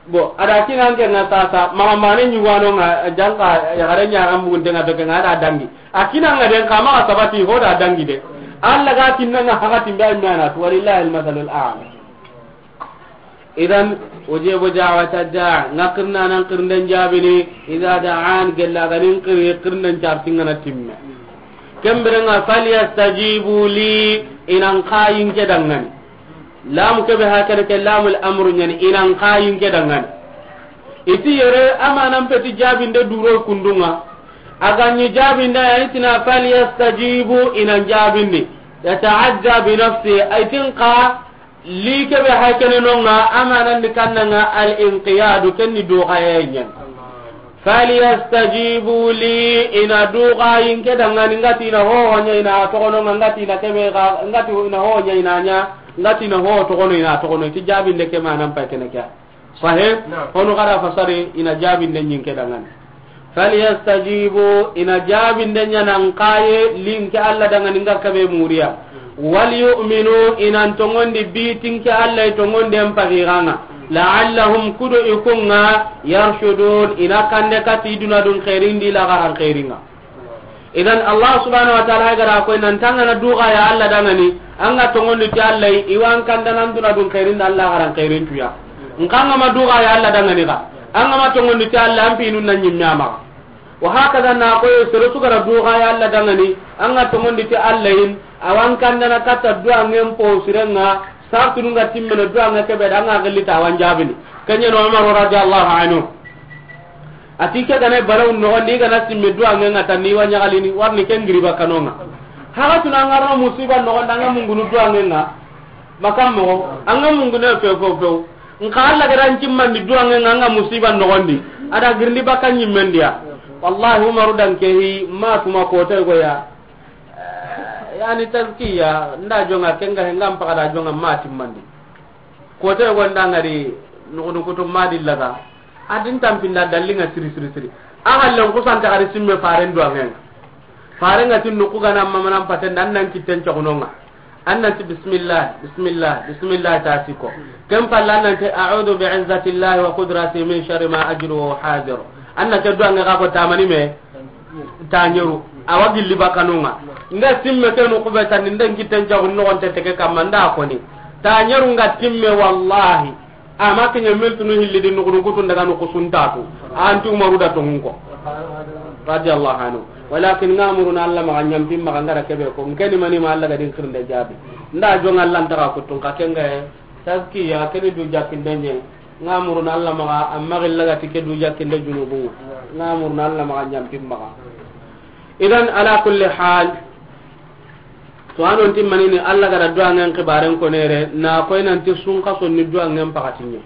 Bo, a da kinanga nga sasa, maxa mane ɲugano nga, janka, yaxare ɲaxan bugunte nga to ke nga, a da dangi. A kinanga den xa maxa sabati, ho da dangi de. Allah ga kinanga haqati be a ɲaana tu, walillahi almasalul a'la. Idan, ujibu da'wata da'i, nga xirnaanan xirinden jaabini, idha da'an, gella ga ni n xiri, xirinden carti nga na timme. Ken bire nga, falyastajibu li, i na n xa yi n ke danŋa ni. Lamu ke be hakene ke lamul amru ɲa ni, i na n xa yi n ke danŋa ni. I ti yere, amanan peti jaabinde duro kundunga. A ga ɲi jaabinde, a yi ti na falyastajibu, i na n jaabindi. Yata'adda bi nafsi, a yi ti n xa, Li ke be hay kene no nga, amanan ni kannanga al-inqiyadu, ken ni duxaye ɲa ni. Falyastajibu li, i na duxayi n ke danŋa ni, nga ti i na ho ho ɲa i na toxono nga, nga ti i na ke be ga, nga ti i na ho ho ɲa i na ɲa, nga ti i na ho toxono i na toxono, i ti jaabinde ke manan pay kene ke ya. Sahe, naam. Hono xara fasari, i na jaabinde ɲi n ke danŋa ni. Falyastajibu, i na jaabinde ɲa na n xa yi li n ke Allah danŋa ni nga ke be muriya. Walyu'minu, i na n tonŋondi bi ti n ke Allah i tonŋonden paxiranga. La'allahum, kudo i ku nga, yarshudun, i na kande kati i duna dun xeerin di laxaran xeeringa. Idan Allah subhanahu wa ta'ala ga da ko nan ti an ga na duxa ya Allah danŋa ni, an ga tonŋondi ti Allah, i wa n kanda nan duna dun xeerin da laxaran xeerin tuya. N xa an ga ma duxa ya Allah danŋa ni ga, an ga ma tonŋondi ti Allah, an pinun na ɲimme a maxa. Wa hakaza na ko sere su ga ra duxa ya Allah danŋa ni, an ga tonŋondi ti Allah in, a wa n kanda na katta duwanŋen po sirenga, sartunu nga timmene duwanŋe ke be da an ga gilli ta wa n jaabini. Ken ɲa ni Umar radiyallahu anhu. A ti ke ga na balaw noxon di, ga na simme duwanŋe nga tan ni wa ɲaxalini, warni ken giri bakano nga. Haga tuna nga ro musiba noxon da nga mungunu duwanŋe nga. Makam mo, an ga mungunu few, few, few. N xa Allah ga da n cimmandi duwanŋe nga, nga musiba noxon di. A da girindi baka ɲimmen di ya. Wallahi, Umaru dan ke hi, ma tuma ko te go ya. Eh, yani tazkiya, nda jonga kenga he, nga mpaga da jonga ma timmandi. Kote yogo nda ngari nukunukutu madi laga. Adin tampinda dallinga siri, siri, siri. A hallen kusanta gari simme faren duwanŋen. Faren ga tin nuku gana mamanan paten da nan kitten cogunonga. An nan ti bismillah, bismillah, bismillah ta siko. Ken palla an nan ti a'udhu bi izzatillahi wa qudratihi min sharri ma ajidu wa uhadhiru. An nan ti duwanŋe ga ko tamani me. Taɲeru, awa gilli bakanunga. Nda simme kenu kube tani, nda n kitten jagun nogon te teke kamma, nda koni. Taɲeru nga timme, wallahi. Ama ke ɲa miltinu hilli di nuxunu kutun daga nuxu suntatu. Anti Umaru da tongun ko. Radiyallahu anhu. Walakin ŋa muruna Alla maxa ɲampi maxa ŋa ra kebe ko. N ke ni mani ma Alla ga din xirinde jaabi. N da joŋa Alla ntaxa kutun xa ke ŋa ye. Taskiya ke ni du jakkinde ɲa. Ŋa muruna Alla maxa, amma xilla ga ti ke du jakkinde junubu. Ŋa muruna Alla maxa ɲampi maxa. Idan, ala kulli hal, to, a non ti manini Alla ga da duwangen xibaren ko nere, na koy nanti sunxason ni duwangen paxati ɲa.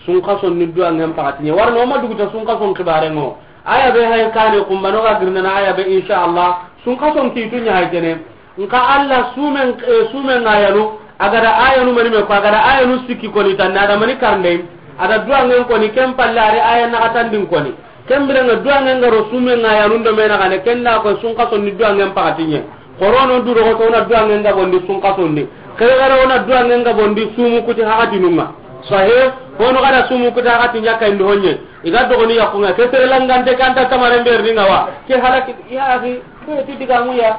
Sunxason ni duwangen paxati ɲa. Warno ma duguta sunxason xibaren ŋo. Aya be hay kane kumbano ga girnana aya be, insha Allah. Sunxason kitu ɲa hay kene. Nka Alla sumen, eh, sumen ayanu, a ga da ayanu mani me ko, a ga da ayanu sikki koni tan, a da mani karndey, a da duwangen koni, ken palle a ri aya naxatandin koni. Ken birenga duwangen ga ro sumen ayanu ndo me naxane, ken da ko sunxason ni duwangen paxati ɲa. Xorono du roxoto wona duwangen ga bondi sunxason di. Xerexere wona duwangen ga bondi sumu kuti haxatinun ŋa. Sahih, hono ga da sumu kuti haxati ɲa kayndi honye. I ga dogoni yaxunga, ke sere langante kanta tamaren berni ŋa wa. Ke halaki, ya axi, ke ti digamu ya.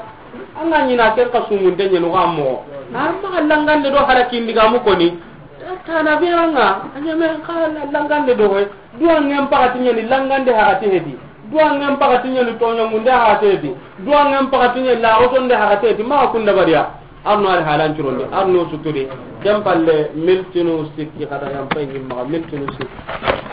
An ga ɲi na ken xa sumunte ɲenu ga moxo. Amma xa langande do halaki ndigamu koni. Tana be an ŋa, a ɲeme xa langande do we. Duwangen paxati ɲa ni langande haxati hedi. Duwangen paxati ɲa ni toɲamunde haxati hedi. Duwangen paxati ɲa ni laxotonde haxati hedi. Maxa kunda bariya. Arno ari halan curondi. Arno suturi. Ken palle miltinu sikki xa da yan pay ɲi maxa miltinu sikki.